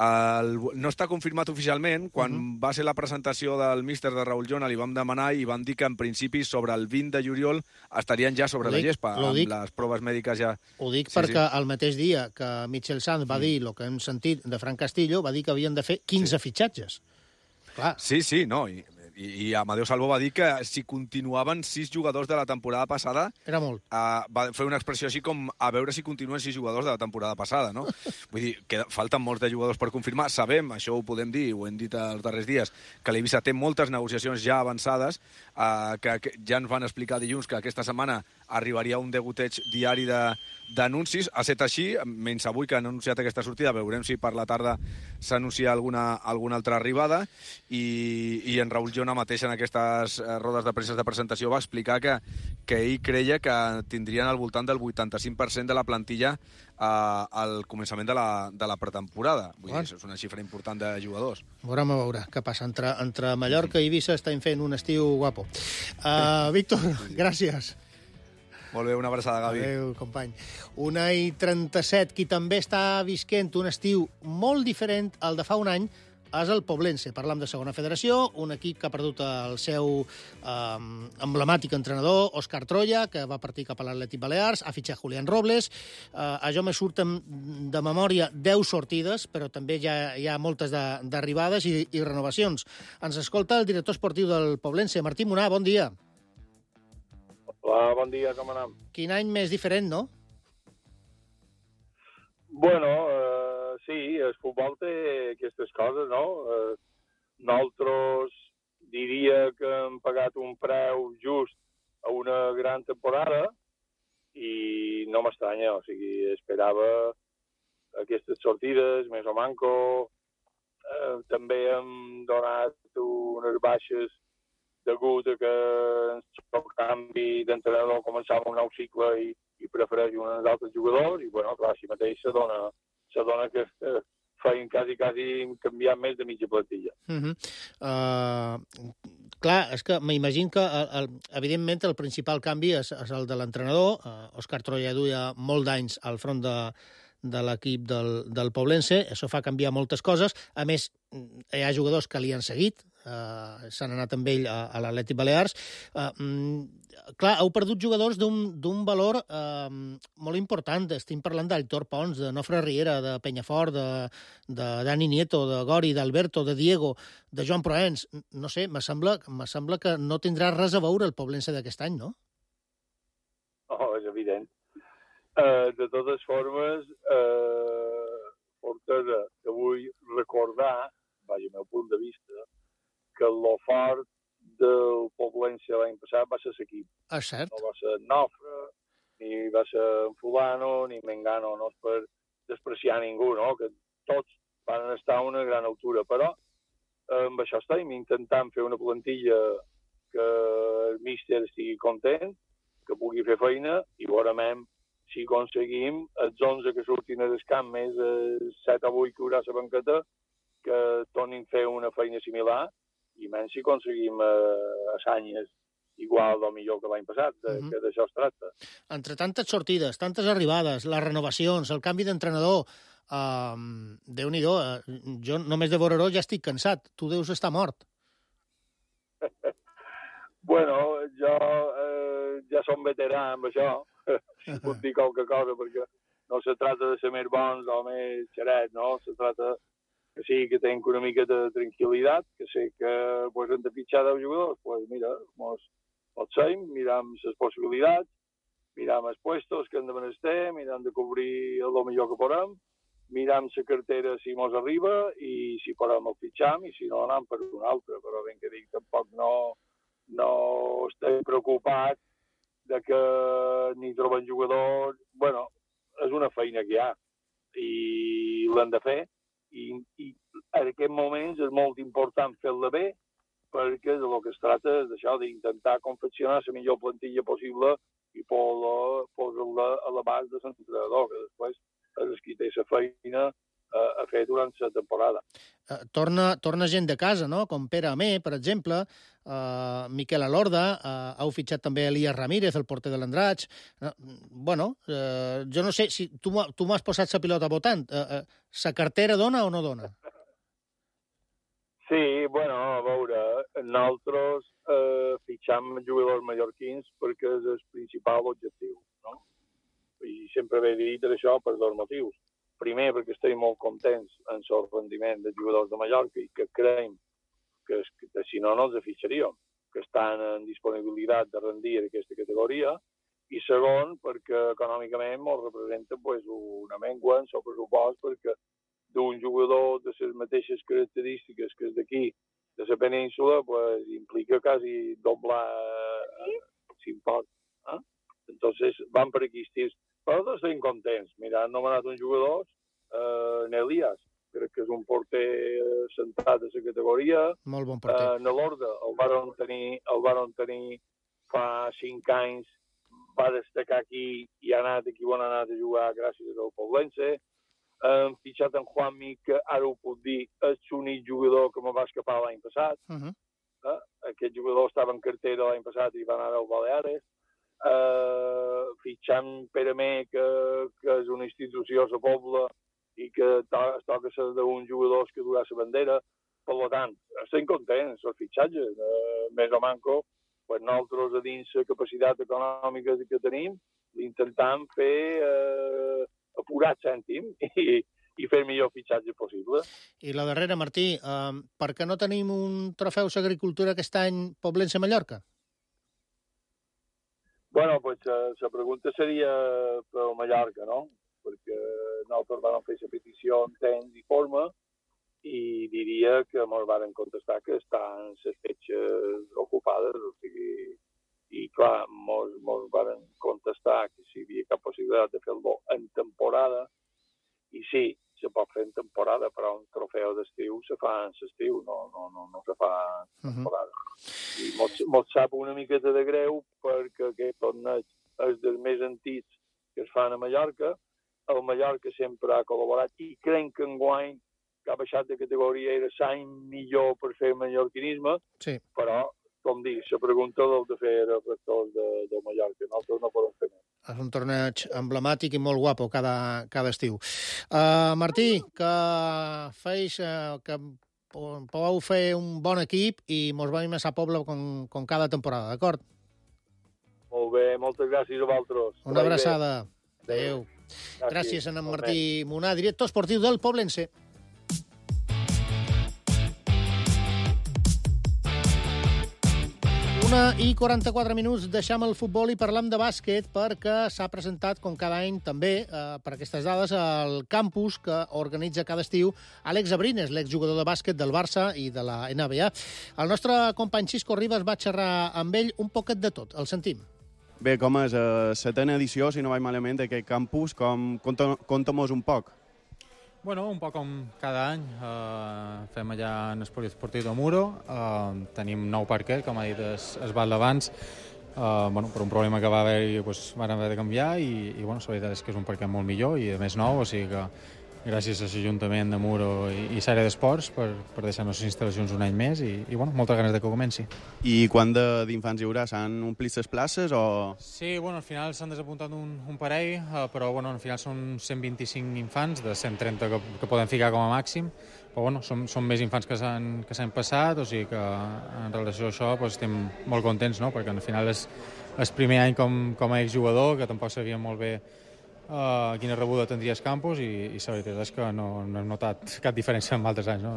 El, no està confirmat oficialment. Quan uh -huh. va ser la presentació del míster de Raúl Jona, li vam demanar i van dir que en principi sobre el vint de juliol estarien ja sobre dic, la gespa, amb dic, les proves mèdiques ja... Ho dic sí, perquè sí. el mateix dia que Michel Sant va mm. dir el que hem sentit de Fran Castillo, va dir que havien de fer quinze sí. fitxatges. Clar. Sí, sí, no, i... I, i Amadeu Salvo va dir que si continuaven sis jugadors de la temporada passada... Era molt. Uh, va fer una expressió així com a veure si continuen sis jugadors de la temporada passada, no? Vull dir, que falten molts de jugadors per confirmar. Sabem, això ho podem dir, ho hem dit els darrers dies, que l'Eivissa té moltes negociacions ja avançades, uh, que, que ja ens van explicar dilluns que aquesta setmana arribaria un degoteig diari de d'anuncis. Ha estat així, menys avui que han anunciat aquesta sortida, veurem si per la tarda s'anuncia alguna, alguna altra arribada, i, i en Raúl Jona mateix en aquestes rodes de premsa de presentació va explicar que, que ell creia que tindrien al voltant del vuitanta-cinc per cent de la plantilla eh, al començament de la, de la pretemporada. Vull dir, és una xifra important de jugadors. Veurem a veure què passa. Entre, entre Mallorca i Eivissa estem fent un estiu guapo. Uh, Víctor, gràcies. Molt bé, una abraçada, Gavi. Adéu, company. Una i trenta-set. Qui també està visquent un estiu molt diferent al de fa un any és el Poblense. Parlam de segona federació, un equip que ha perdut el seu eh, emblemàtic entrenador, Òscar Troya, que va partir cap a l'Atlètic Balears, ha fitxat Julián Robles. Eh, això me surten de memòria deu sortides, però també hi ha, hi ha moltes d'arribades i, i renovacions. Ens escolta el director esportiu del Poblense, Martí Munà. Bon dia. Hola, bon dia, com anem? Quin any més diferent, no? Bueno, eh, sí, el futbol té aquestes coses, no? Eh, nosaltres diria que hem pagat un preu just a una gran temporada i no m'estranya, o sigui, esperava aquestes sortides, més o manco. Eh, també hem donat unes baixes degut a que el canvi d'entrenador començava un nou cicle i, i prefereix uns altres jugadors, i, bueno, clar, així mateix se dona, se dona que eh, feien quasi, quasi canviar més de mitja plantilla. Uh -huh. uh, clar, és que m'imagino que, el, el, evidentment, el principal canvi és, és el de l'entrenador. Uh, Òscar Troya duia molt d'anys al front de, de l'equip del, del Poblense. Això fa canviar moltes coses. A més, hi ha jugadors que li han seguit, eh, s'han anat amb ell a, a l'Atlètic Balears. Eh, mm, clar, heu perdut jugadors d'un valor eh, molt important. Estem parlant d'Aitor Pons, de Nofre Riera, de Penyafort, de, de Dani Nieto, de Gori, d'Alberto, de Diego, de Joan Proens. No sé, me sembla, me sembla que no tindrà res a veure el Poblense d'aquest any, no? Oh, és evident. Uh, de totes formes, uh, Fortesa, que vull recordar, vaja, el meu punt de vista, que el fort del Poblense l'any passat va ser l'equip. Ah, cert. No va ser Nofre, ni va ser Fulano, ni Mengano, no és per despreciar ningú, no? Que tots van estar a una gran altura, però eh, amb això estem intentant fer una plantilla que el míster estigui content, que pugui fer feina, i veurem si aconseguim els onze que surtin al camp, més els set o vuit que haurà a la banqueta, que tornin a fer una feina similar, i menys si aconseguim eh, assanyes igual o millor que l'any passat, de, uh-huh. que d'això es tracta. Entre tantes sortides, tantes arribades, les renovacions, el canvi d'entrenador, eh, Déu-n'hi-do, eh, jo només de veure-ho ja estic cansat. Tu deus estar mort. Bueno, jo eh, ja som veterà amb això, si puc dir qualque cosa, perquè no se trata de ser més bons o més xerets, no? Se trata que sí, que tenc una mica de tranquil·litat, que sé que pues, hem de fitxar deu jugadors, pues mira, mos, mos seim, miram les possibilitats, miram els puestos que hem de menester, miram de cobrir el millor que podem, miram la cartera si mos arriba i si podem el fitxam i si no anem per un altre, però ben que dic, tampoc no, no estic preocupat de que ni trobem jugadors. Bueno, és una feina que hi ha i l'hem de fer i, i en aquests moments és molt important fer-la bé perquè del que es tracta és d'això, d'intentar confeccionar la millor plantilla possible i posar-la a l'abast de l'entrenador, que després és qui té la feina a fer durant la temporada. Uh, torna, torna gent de casa, no? Com Pere Amé, per exemple, uh, Miquel Alorda, uh, heu fitxat també Elias Ramírez, el porter de l'Andratx. Uh, bueno, uh, jo no sé, si tu, tu m'has posat la pilota votant. Uh, uh, sa cartera dona o no dona? Sí, bueno, a veure, nosaltres eh, fitxam jugadors mallorquins perquè és el principal objectiu, no? I sempre he dit això per dos motius. Primer, perquè estem molt contents en el rendiment de jugadors de Mallorca i que creiem que, que si no, no els fitxaríem, que estan en disponibilitat de rendir aquesta categoria. I segon, perquè econòmicament ens representa pues, una mengua en el pressupost, perquè d'un jugador de les mateixes característiques que és d'aquí, de la península, pues, implica quasi doblar l'import. Eh? Entonces, van per aquí estirs. Però tots estem contents. Mira, han nomenat un jugador, eh, Elias, crec que és un porter centrat de la categoria. Molt bon porter. Eh, Nelorda, el van tenir, el van tenir fa cinc anys, va destacar aquí i ha anat aquí on ha anat a jugar gràcies al Poblense. Hem fitxat en Juanmi, que ara ho puc dir, és l'únic jugador que me va escapar l'any passat. Uh-huh. eh? Aquest jugador estava en cartera l'any passat i va anar al Baleares. Uh, fitxant Pere Amé, que, que és una institució a la Pobla i que to, es toca ser d'un jugador que durà la bandera. Per tant, estem contents els fitxatges. Uh, més o manco, pues nosaltres, a dins la capacitat econòmica que tenim, intentam fer uh, apurar cèntim i, i fer el millor fitxatge possible. I la darrera, Martí, uh, per què no tenim un trofeu d'agricultura aquest any Poblense-Mallorca? Bueno, pues la pregunta seria per Mallorca, no? Perquè nosaltres vam fer la petició en temps i forma i diria que ens van contestar que estan les fetges ocupades, o sigui, i clar, ens van contestar que si hi havia cap possibilitat de fer-lo en temporada, i sí, se pot fer en temporada, però un trofeu d'estiu se fa en l'estiu, no, no, no, no se fa en temporada. Uh-huh. I mos sap una miqueta de greu perquè aquest torneig és dels més antics que es fan a Mallorca. El Mallorca sempre ha col·laborat i crec que enguany que ha baixat de categoria era l'any millor per fer mallorquinisme, sí. Però com dic, la pregunta l'heu de fer els rectors de, de Mallorca. Nosaltres no podem fer més. És un torneig emblemàtic i molt guapo cada, cada estiu. Uh, Martí, que feis, uh, que podeu fer un bon equip i mos veiem a sa Pobla com, com cada temporada, d'acord? Molt bé, moltes gràcies a vosaltres. Una abraçada. Adéu. Gràcies, gràcies a en Martí Munà, director esportiu del Poblense. una i quaranta-quatre minuts, deixam el futbol i parlam de bàsquet perquè s'ha presentat, com cada any també, eh, per aquestes dades, el campus que organitza cada estiu Àlex Abrines, l'exjugador de bàsquet del Barça i de la N B A. El nostre company Xisco Ribas va xerrar amb ell un poquet de tot. El sentim. Bé, com és la setena edició, si no vaig malament, d'aquest campus, com conta-mos un poc. Bueno, un poc com cada any. Eh, fem allà en el poliesportiu de Muro. Eh, tenim nou parquet, com ha dit es Val d'abans. Eh, bueno, per un problema que va haver-hi, doncs, van haver de canviar i, i bueno, la veritat és que és un parquet molt millor i a més nou, o sigui que gràcies a l'Ajuntament de Muro i, i l'àrea d'esports per, per deixar-nos les instal·lacions un any més i, i bueno, moltes ganes de que comenci. I quant d'infants hi haurà? S'han omplit les places o...? Sí, bueno, al final s'han desapuntat un, un parell, eh, però bueno, al final són cent vint-i-cinc infants de cent trenta que, que poden ficar com a màxim, però bueno, són, són més infants que s'han que s'han passat, o sigui que en relació a això doncs, estem molt contents, no? Perquè al final és el primer any com, com a exjugador, que tampoc sabia molt bé Uh, quina rebuda tindria el campus i, i la veritat és que no, no hem notat cap diferència amb altres anys. No,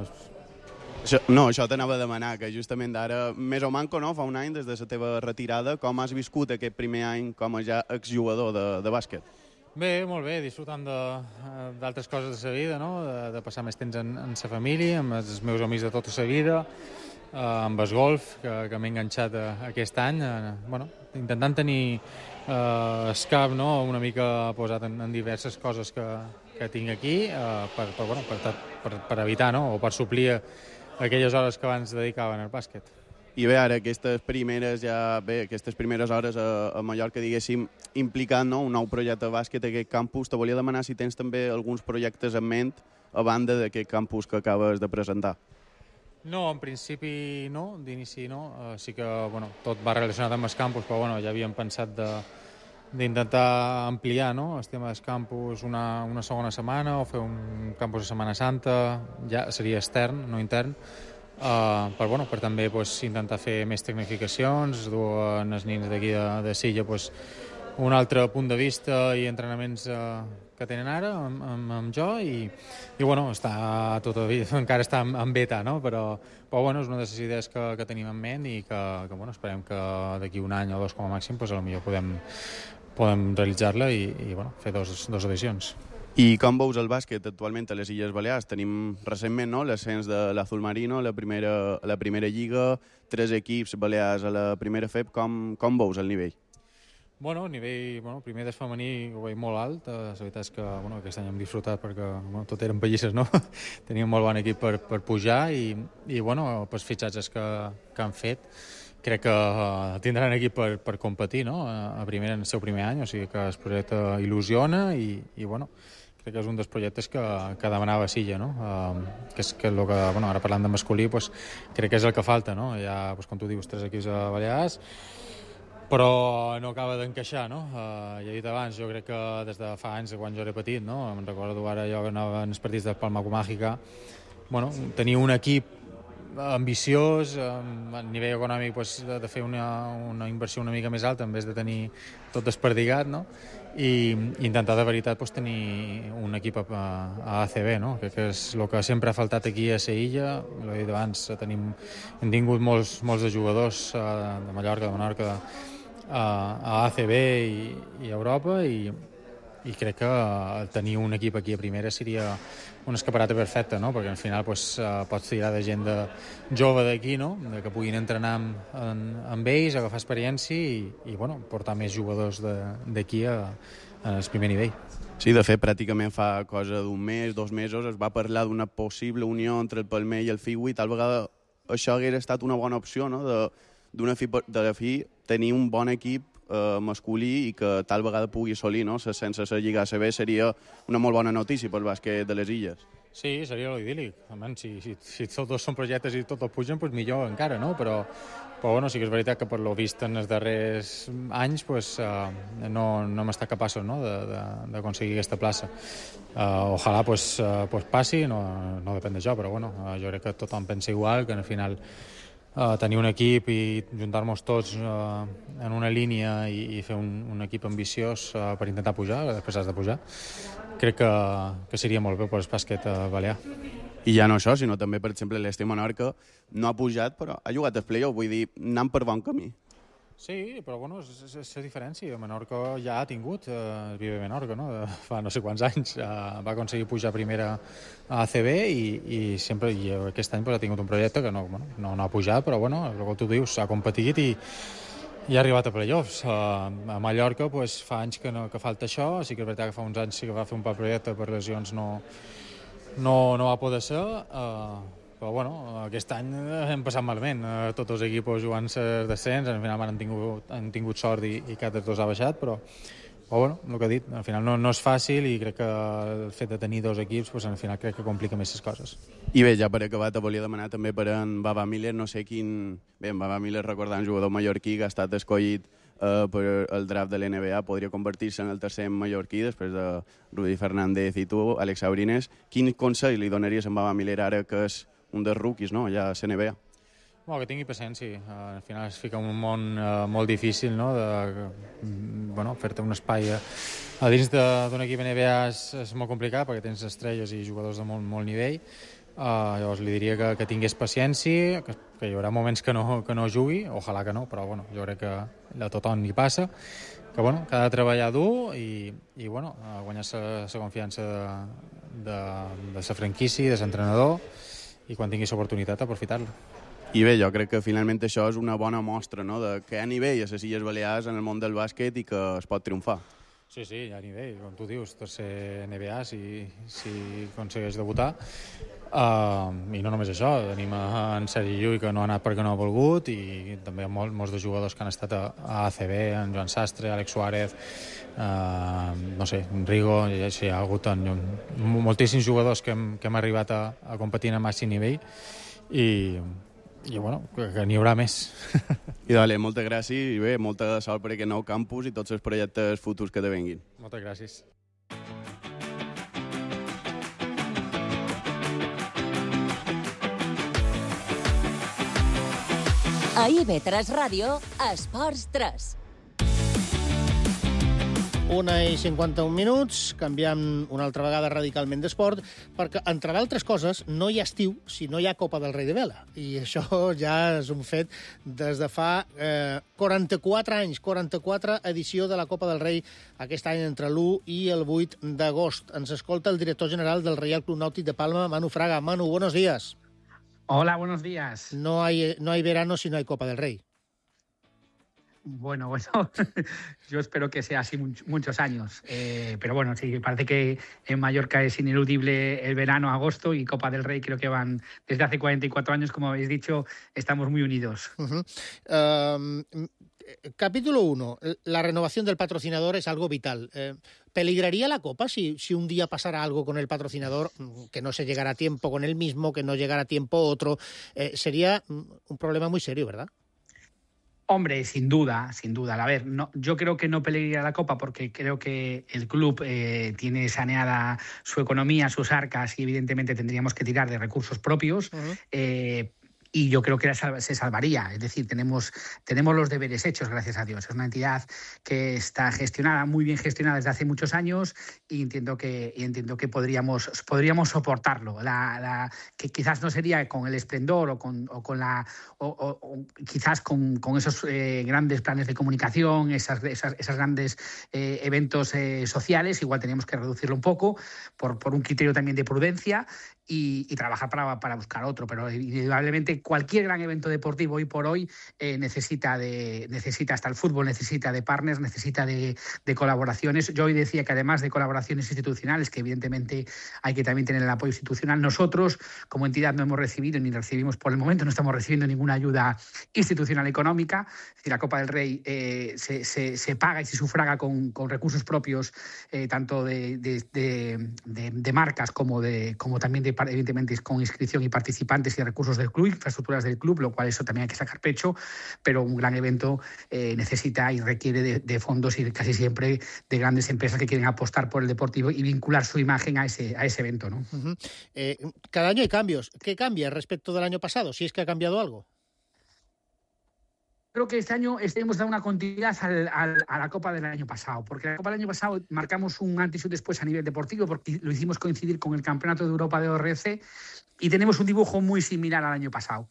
això, no, això t'anava a demanar, que justament d'ara, més o manco, no? Fa un any des de la teva retirada, com has viscut aquest primer any com a ja exjugador de, de bàsquet? Bé, molt bé, disfrutant d'altres coses de la vida, no? de, de passar més temps en, en la família, amb els meus amics de tota la vida, uh, amb el golf, que, que m'he enganxat a, a aquest any, uh, bueno, intentant tenir Uh, el cap no? una mica posat en, en diverses coses que, que tinc aquí uh, per, per, bueno, per, per, per evitar no? o per suplir aquelles hores que abans dedicaven al bàsquet. I bé, ara aquestes primeres, ja, bé, aquestes primeres hores a, a Mallorca, diguéssim, implicant no? un nou projecte de bàsquet a aquest campus, te volia demanar si tens també alguns projectes en ment a banda d'aquest campus que acabes de presentar. No, en principi no, d'inici no. Uh, sí que bueno, tot va relacionat amb el campus, però bueno, ja havíem pensat d'intentar ampliar no, el tema del campus una, una segona setmana o fer un campus de Setmana Santa, ja seria extern, no intern, uh, per, bueno, per també pues, intentar fer més tecnificacions, dur els nins d'aquí de, de Silla pues, un altre punt de vista i entrenaments uh, que tenen ara amb, amb, amb jo i, i bueno, està tot, encara està en, en beta, no? però, però bueno, és una de les idees que, que tenim en ment i que, que bueno, esperem que d'aquí un any o dos com a màxim pues, potser podem, podem realitzar-la i, i bueno, fer dos, dos edicions. I com veus el bàsquet actualment a les Illes Balears? Tenim recentment no, l'ascens de l'Azul Marino, la primera, la primera lliga, tres equips balears a la primera F E B. Com, com veus el nivell? Bueno, a nivell, bueno, primer del femení ho veig molt alt, la veritat és que bueno, aquest any hem disfrutat perquè bueno, tot eren pallisses, no? Teníem molt bon equip per, per pujar i, i bueno, els fitxatges que, que han fet crec que uh, tindran equip per, per competir, no? A primer, en el seu primer any, o sigui que el projecte il·lusiona i, i bueno, crec que és un dels projectes que, que demanava Silla, no? Uh, que és que, el que bueno, ara parlant de masculí, pues, crec que és el que falta, no? Hi ha, pues, com tu dius, tres equips a Balears, però no acaba d'encaixar, no? Uh, ja he dit abans, jo crec que des de fa anys, quan jo era petit, no? Em recordo ara jo que anava en els partits de Palma Comàgica, bueno, tenia un equip ambiciós, a nivell econòmic pues, de fer una, una inversió una mica més alta en vez de tenir tot desperdigat, no? I intentar de veritat pues, tenir un equip a, a A C B, no? Crec que és el que sempre ha faltat aquí a Sevilla, l'he dit abans, tenim, hem tingut molts, molts de jugadors uh, de Mallorca, de Menorca, de, a, a A C B i, i a Europa i, i crec que tenir un equip aquí a primera seria un escaparate perfecte, no? Perquè al final pues, uh, pots tirar de gent de jove d'aquí, no? De que puguin entrenar amb, en, amb ells, agafar experiència i, i bueno, portar més jugadors d'aquí al primer nivell. Sí, de fet, pràcticament fa cosa d'un mes, dos mesos, es va parlar d'una possible unió entre el Palmer i el Figui, tal vegada això hagués estat una bona opció, no? De, d'una fi, de la fi tenir un bon equip eh, masculí i que tal vegada pugui assolir, no? Sense la Lliga A C B seria una molt bona notícia pel bàsquet de les Illes. Sí, seria l'idíl·lic. Si, si, si tots dos són projectes i tots pugen, doncs millor encara, no? Però, però bueno, sí que és veritat que per lo vist en els darrers anys pues, uh, no, no hem estat capaços, no? d'aconseguir aquesta plaça. Uh, ojalà pues, uh, pues passi, no, no depèn de jo, però bueno, uh, jo crec que tothom pensa igual, que al final uh, tenir un equip i juntar-nos tots uh, en una línia i, i fer un, un equip ambiciós uh, per intentar pujar, després has de pujar, crec que, que seria molt bé per el bàsquet balear. I ja no això, sinó també, per exemple, l'Este Menorca no ha pujat, però ha jugat al playoff, vull dir, anant per bon camí. Sí, però bueno, és, és, és la diferència. Menorca ja ha tingut eh, el Vive Menorca, no? De, fa no sé quants anys. Eh, va aconseguir pujar primera a A C B i, i sempre i aquest any pues, ha tingut un projecte que no, bueno, no, no ha pujat, però bueno, com tu dius, ha competit i i ha arribat a playoffs. Uh, a Mallorca pues, fa anys que, no, que falta això, sí que és veritat que fa uns anys sí que va fer un par projecte per lesions no, no, no va poder ser, uh, però bueno, aquest any hem passat malament, uh, tots els equips jugant-se descens, al final han tingut, han tingut sort i, i cap dels dos ha baixat, però però bueno, el que he dit, al final no, no és fàcil i crec que el fet de tenir dos equips pues, al final crec que complica més les coses. I bé, ja per acabar te volia demanar també per en Baba Miller, no sé quin... Bé, en Baba Miller, recordant un jugador mallorquí que ha estat escollit eh, per el draft de l'N B A, podria convertir-se en el tercer mallorquí després de Rudy Fernández i tu, Àlex Sabrines. Quin consell li donaries a en Baba Miller ara que és un dels rookies, no?, ja a l'N B A? Bueno, que tingui paciència. Uh, al final es fica en un món uh, molt difícil, no?, de bueno, fer-te un espai a, a dins d'un equip N B A és, és molt complicat perquè tens estrelles i jugadors de molt, molt nivell. Uh, llavors li diria que, que tingués paciència, que, que hi haurà moments que no, que no jugui, ojalà que no, però bueno, jo crec que a tothom hi passa, que, bueno, que ha de treballar dur i, i bueno, guanyar la confiança de, de, de la franquícia, de l'entrenador, i quan tingui l'oportunitat aprofitar-la. I bé, jo crec que finalment això és una bona mostra, no?, de que hi ha nivell a les Illes Balears en el món del bàsquet i que es pot triomfar. Sí, sí, hi ha nivell, com tu dius, tercer N B A, si, si aconsegueix debutar. Uh, I no només això, tenim en Sergi Llull, que no ha anat perquè no ha volgut, i també mol, molts de jugadors que han estat a, a A C B, en Joan Sastre, Àlex Suárez, uh, no sé, Rigo, i així hi ha hagut en, moltíssims jugadors que hem, que hem arribat a, a competir a màxim nivell, i... i bueno, que, que n'hi haurà més. I dale, moltes gràcies i bé, molta sort per aquest nou campus i tots els projectes futurs que te venguin. Moltes gràcies. A I V tres Ràdio, Esports tres. Una i cinquanta-un minuts, canviam una altra vegada radicalment d'esport, perquè, entre d'altres coses, no hi ha estiu si no hi ha Copa del Rei de Vela. I això ja és un fet des de fa eh, quaranta-quatre anys, quaranta-quatre edició de la Copa del Rei, aquest any entre l'u i el vuit d'agost. Ens escolta el director general del Reial Club Nàutic de Palma, Manu Fraga. Manu, buenos días. Hola, buenos días. No hay, no hay verano si no hay Copa del Rey. Bueno, bueno, yo espero que sea así much, muchos años. Eh, pero bueno, sí, parece que en Mallorca es ineludible el verano, agosto, y Copa del Rey creo que van desde hace cuarenta y cuatro años, como habéis dicho, estamos muy unidos. Uh-huh. Um, capítulo uno, la renovación del patrocinador es algo vital. Eh, ¿Peligraría la Copa si, si un día pasara algo con el patrocinador, que no se llegara a tiempo con él mismo, que no llegara a tiempo otro? Eh, sería un problema muy serio, ¿verdad? Hombre, sin duda, sin duda. A ver, no, yo creo que no peligraría la Copa porque creo que el club eh, tiene saneada su economía, sus arcas, y evidentemente tendríamos que tirar de recursos propios. Uh-huh. eh, Y yo creo que se salvaría. Es decir, tenemos, tenemos los deberes hechos, gracias a Dios. Es una entidad que está gestionada, muy bien gestionada desde hace muchos años, y entiendo que, y entiendo que podríamos, podríamos soportarlo. La, la, que quizás no sería con el esplendor o con, o con la o, o, o quizás con, con esos eh, grandes planes de comunicación, esas, esas, esas grandes eh, eventos eh, sociales. Igual teníamos que reducirlo un poco por, por un criterio también de prudencia. y, y trabajar para, para buscar otro. Pero indudablemente cualquier gran evento deportivo hoy por hoy eh, necesita, de, necesita, hasta el fútbol necesita de partners, necesita de, de colaboraciones. Yo hoy decía que además de colaboraciones institucionales, que evidentemente hay que también tener el apoyo institucional, nosotros como entidad no hemos recibido ni recibimos por el momento, no estamos recibiendo ninguna ayuda institucional económica. Es decir, la Copa del Rey eh, se, se, se paga y se sufraga con, con recursos propios, eh, tanto de, de, de, de, de marcas como, de, como también de, evidentemente con inscripción y participantes y recursos del club, infraestructuras del club, lo cual eso también hay que sacar pecho, pero un gran evento eh, necesita y requiere de, de fondos y casi siempre de grandes empresas que quieren apostar por el deportivo y vincular su imagen a ese, a ese evento, ¿no? Uh-huh. eh, cada año hay cambios. ¿Qué cambia respecto del año pasado? Si es que ha cambiado algo. Creo que este año hemos dado una continuidad al, al, a la Copa del año pasado, porque la Copa del año pasado marcamos un antes y un después a nivel deportivo, porque lo hicimos coincidir con el Campeonato de Europa de O R C y tenemos un dibujo muy similar al año pasado.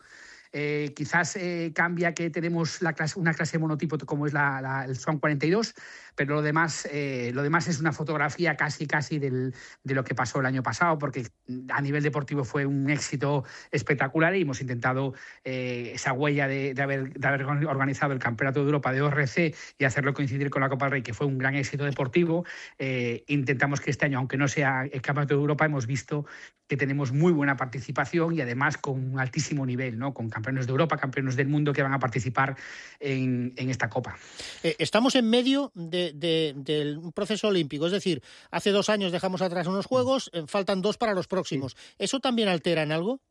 Eh, quizás eh, cambia que tenemos la clase, una clase monotipo como es la, la, el Swan cuarenta y dos, pero lo demás, eh, lo demás es una fotografía casi casi del, de lo que pasó el año pasado, porque a nivel deportivo fue un éxito espectacular y hemos intentado eh, esa huella de, de, haber, de haber organizado el Campeonato de Europa de O R C y hacerlo coincidir con la Copa del Rey, que fue un gran éxito deportivo. Eh, intentamos que este año, aunque no sea el Campeonato de Europa, hemos visto que tenemos muy buena participación y además con un altísimo nivel, ¿no? Con campeones de Europa, campeones del mundo que van a participar en, en esta Copa. Eh, estamos en medio de, de, de un proceso olímpico, es decir, hace dos años dejamos atrás unos Juegos, eh, faltan dos para los próximos. ¿Eso también altera en algo?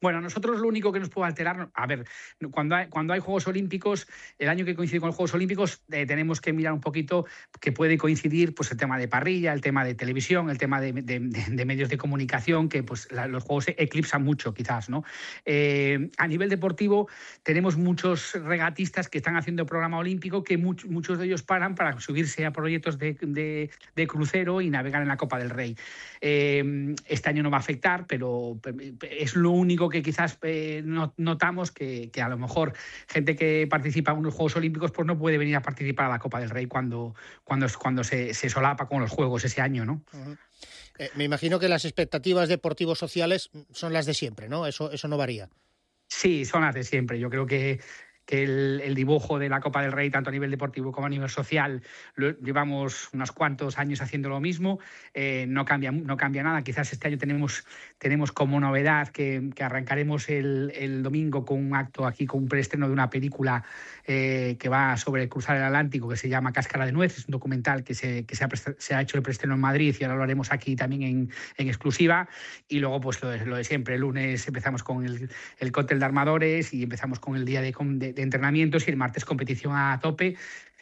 Bueno, nosotros lo único que nos puede alterar, a ver, cuando hay, cuando hay Juegos Olímpicos, el año que coincide con los Juegos Olímpicos, eh, tenemos que mirar un poquito que puede coincidir pues el tema de parrilla, el tema de televisión, el tema de, de, de medios de comunicación, que pues la, los Juegos eclipsan mucho quizás, ¿no? Eh, a nivel deportivo tenemos muchos regatistas que están haciendo programa olímpico que much, muchos de ellos paran para subirse a proyectos de, de, de crucero y navegar en la Copa del Rey. Eh, este año no va a afectar, pero es lo único que quizás eh, notamos que, que a lo mejor gente que participa en unos Juegos Olímpicos pues no puede venir a participar a la Copa del Rey cuando, cuando, cuando se, se solapa con los Juegos ese año, ¿no? Uh-huh. eh, me imagino que las expectativas deportivos sociales son las de siempre, ¿no? Eso, eso no varía. Sí, son las de siempre. Yo creo que que el, el dibujo de la Copa del Rey, tanto a nivel deportivo como a nivel social, lo, llevamos unos cuantos años haciendo lo mismo, eh, no cambia no cambia nada. Quizás este año tenemos, tenemos como novedad que, que arrancaremos el, el domingo con un acto aquí, con un preestreno de una película eh, que va sobre cruzar el Atlántico, que se llama Cáscara de Nuez, es un documental que se, que se, ha, se ha hecho el preestreno en Madrid y ahora lo haremos aquí también en, en exclusiva. Y luego pues lo de, lo de siempre, el lunes empezamos con el, el cóctel de armadores y empezamos con el día de, de de entrenamientos y el martes competición a tope.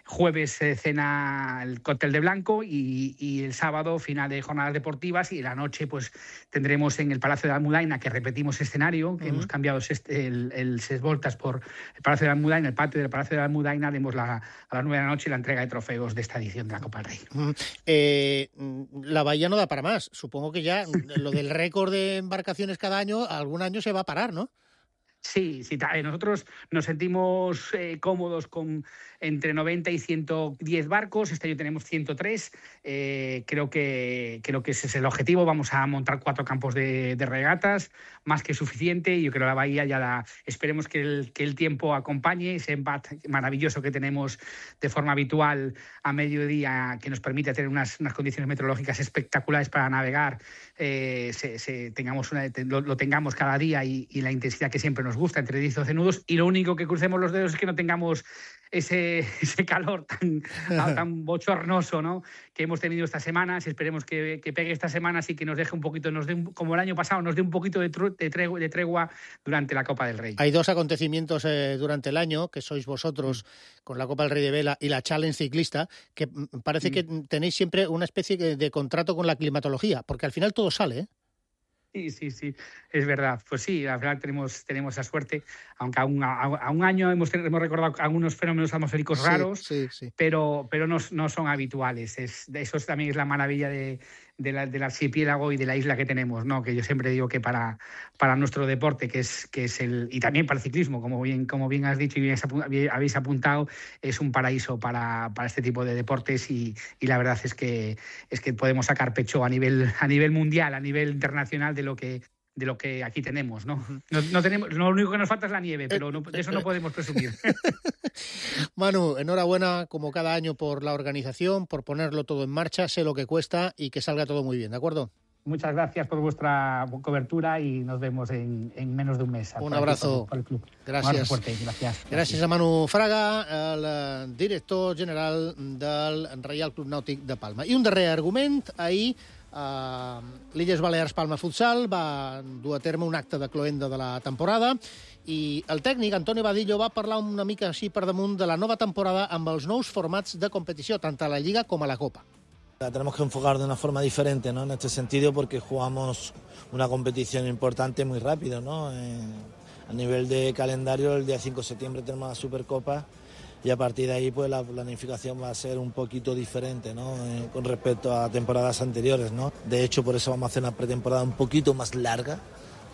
Jueves eh, cena el cóctel de blanco y, y el sábado final de jornadas deportivas y la noche pues tendremos en el Palacio de la Almudaina, que repetimos escenario, que uh-huh. hemos cambiado el, el Ses Voltas por el Palacio de la Almudaina, el patio del Palacio de la Almudaina, haremos la, a las nueve de la noche la entrega de trofeos de esta edición de la Copa del Rey. Uh-huh. Eh, la bahía no da para más. Supongo que ya lo del récord de embarcaciones cada año, algún año se va a parar, ¿no? Sí, sí, nosotros nos sentimos eh, cómodos con entre noventa y ciento diez barcos. Este año tenemos ciento tres. Eh, creo que creo que ese es el objetivo. Vamos a montar cuatro campos de, de regatas, más que suficiente. Y yo creo que la bahía ya la esperemos que el, que el tiempo acompañe ese embate maravilloso que tenemos de forma habitual a mediodía, que nos permite tener unas, unas condiciones meteorológicas espectaculares para navegar. Eh, se, se, tengamos una, lo, lo tengamos cada día y, y la intensidad que siempre nos gusta, entre diez y doce nudos, y lo único que crucemos los dedos es que no tengamos ese, ese calor tan, tan bochornoso, ¿no?, que hemos tenido estas semanas. Esperemos que, que pegue estas semanas y que nos deje un poquito, nos dé un, como el año pasado, nos dé un poquito de, tru, de, tregua, de tregua durante la Copa del Rey. Hay dos acontecimientos eh, durante el año, que sois vosotros con la Copa del Rey de Vela y la Challenge Ciclista, que parece mm. que tenéis siempre una especie de, de contrato con la climatología, porque al final todo sale, ¿eh? Sí, sí, sí, es verdad. Pues sí, al final tenemos, tenemos esa suerte, aunque a un, a, a un año hemos, hemos recordado algunos fenómenos atmosféricos raros, sí, sí, sí. pero, pero no, no son habituales. Es, eso es, también es la maravilla de, de la, del archipiélago y de la isla que tenemos, ¿no? Que yo siempre digo que para, para nuestro deporte, que es, que es el, y también para el ciclismo, como bien, como bien has dicho y bien habéis apuntado, es un paraíso para, para este tipo de deportes y, y la verdad es que, es que podemos sacar pecho a nivel, a nivel mundial, a nivel internacional de lo que de lo que aquí tenemos, ¿no? No, no tenemos, lo único que nos falta es la nieve, pero no, de eso no podemos presumir. Manu, enhorabuena como cada año por la organización, por ponerlo todo en marcha, sé lo que cuesta y que salga todo muy bien, ¿de acuerdo? Muchas gracias por vuestra cobertura y nos vemos en, en menos de un mes. Un abrazo. Por el club. Gràcies. Un fuerte, gracias. Gràcies a Manu Fraga, el director general del Reial Club Nàutic de Palma. I un darrer argument, ahir Uh, l'Illes Balears Palma Futsal va dur a terme un acte de cloenda de la temporada i el tècnic Antonio Vadillo va parlar una mica així per damunt de la nova temporada amb els nous formats de competició, tant a la Lliga com a la Copa. La tenemos que enfocar de una forma diferente, ¿no? En este sentido, porque jugamos una competición importante muy rápido, ¿no? Eh, a nivel de calendario, el día cinco de septiembre tenemos la Supercopa y a partir de ahí pues la planificación va a ser un poquito diferente, ¿no? Eh, con respecto a temporadas anteriores, ¿no? De hecho, por eso vamos a hacer una pretemporada un poquito más larga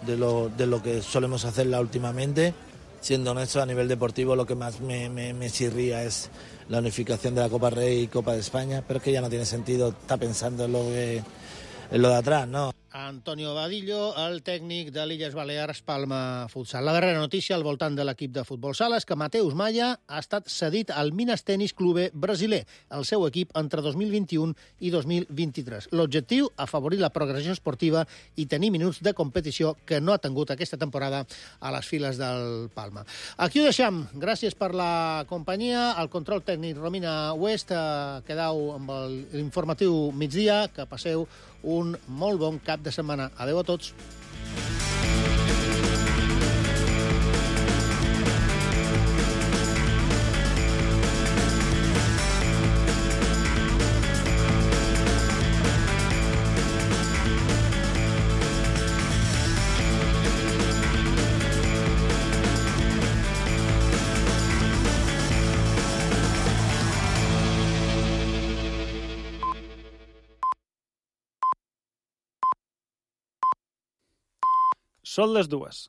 de lo, de lo que solemos hacerla últimamente. Siendo honesto, a nivel deportivo lo que más me, me, me chirría es la unificación de la Copa Rey y Copa de España, pero es que ya no tiene sentido estar pensando en lo, que, en lo de atrás, ¿no? Antonio Vadillo, el tècnic de l'Illes Balears Palma Futsal. La darrera notícia al voltant de l'equip de futbol sala és que Mateus Maya ha estat cedit al Minas Tenis Clube brasiler, el seu equip entre dos mil vint-i-un i dos mil vint-i-tres. L'objectiu, afavorir la progressió esportiva i tenir minuts de competició que no ha tingut aquesta temporada a les files del Palma. Aquí ho deixem. Gràcies per la companyia. El control tècnic Romina West. Quedau amb l'informatiu migdia. Que passeu un molt bon cap de setmana. Adéu a tots. Són les dues.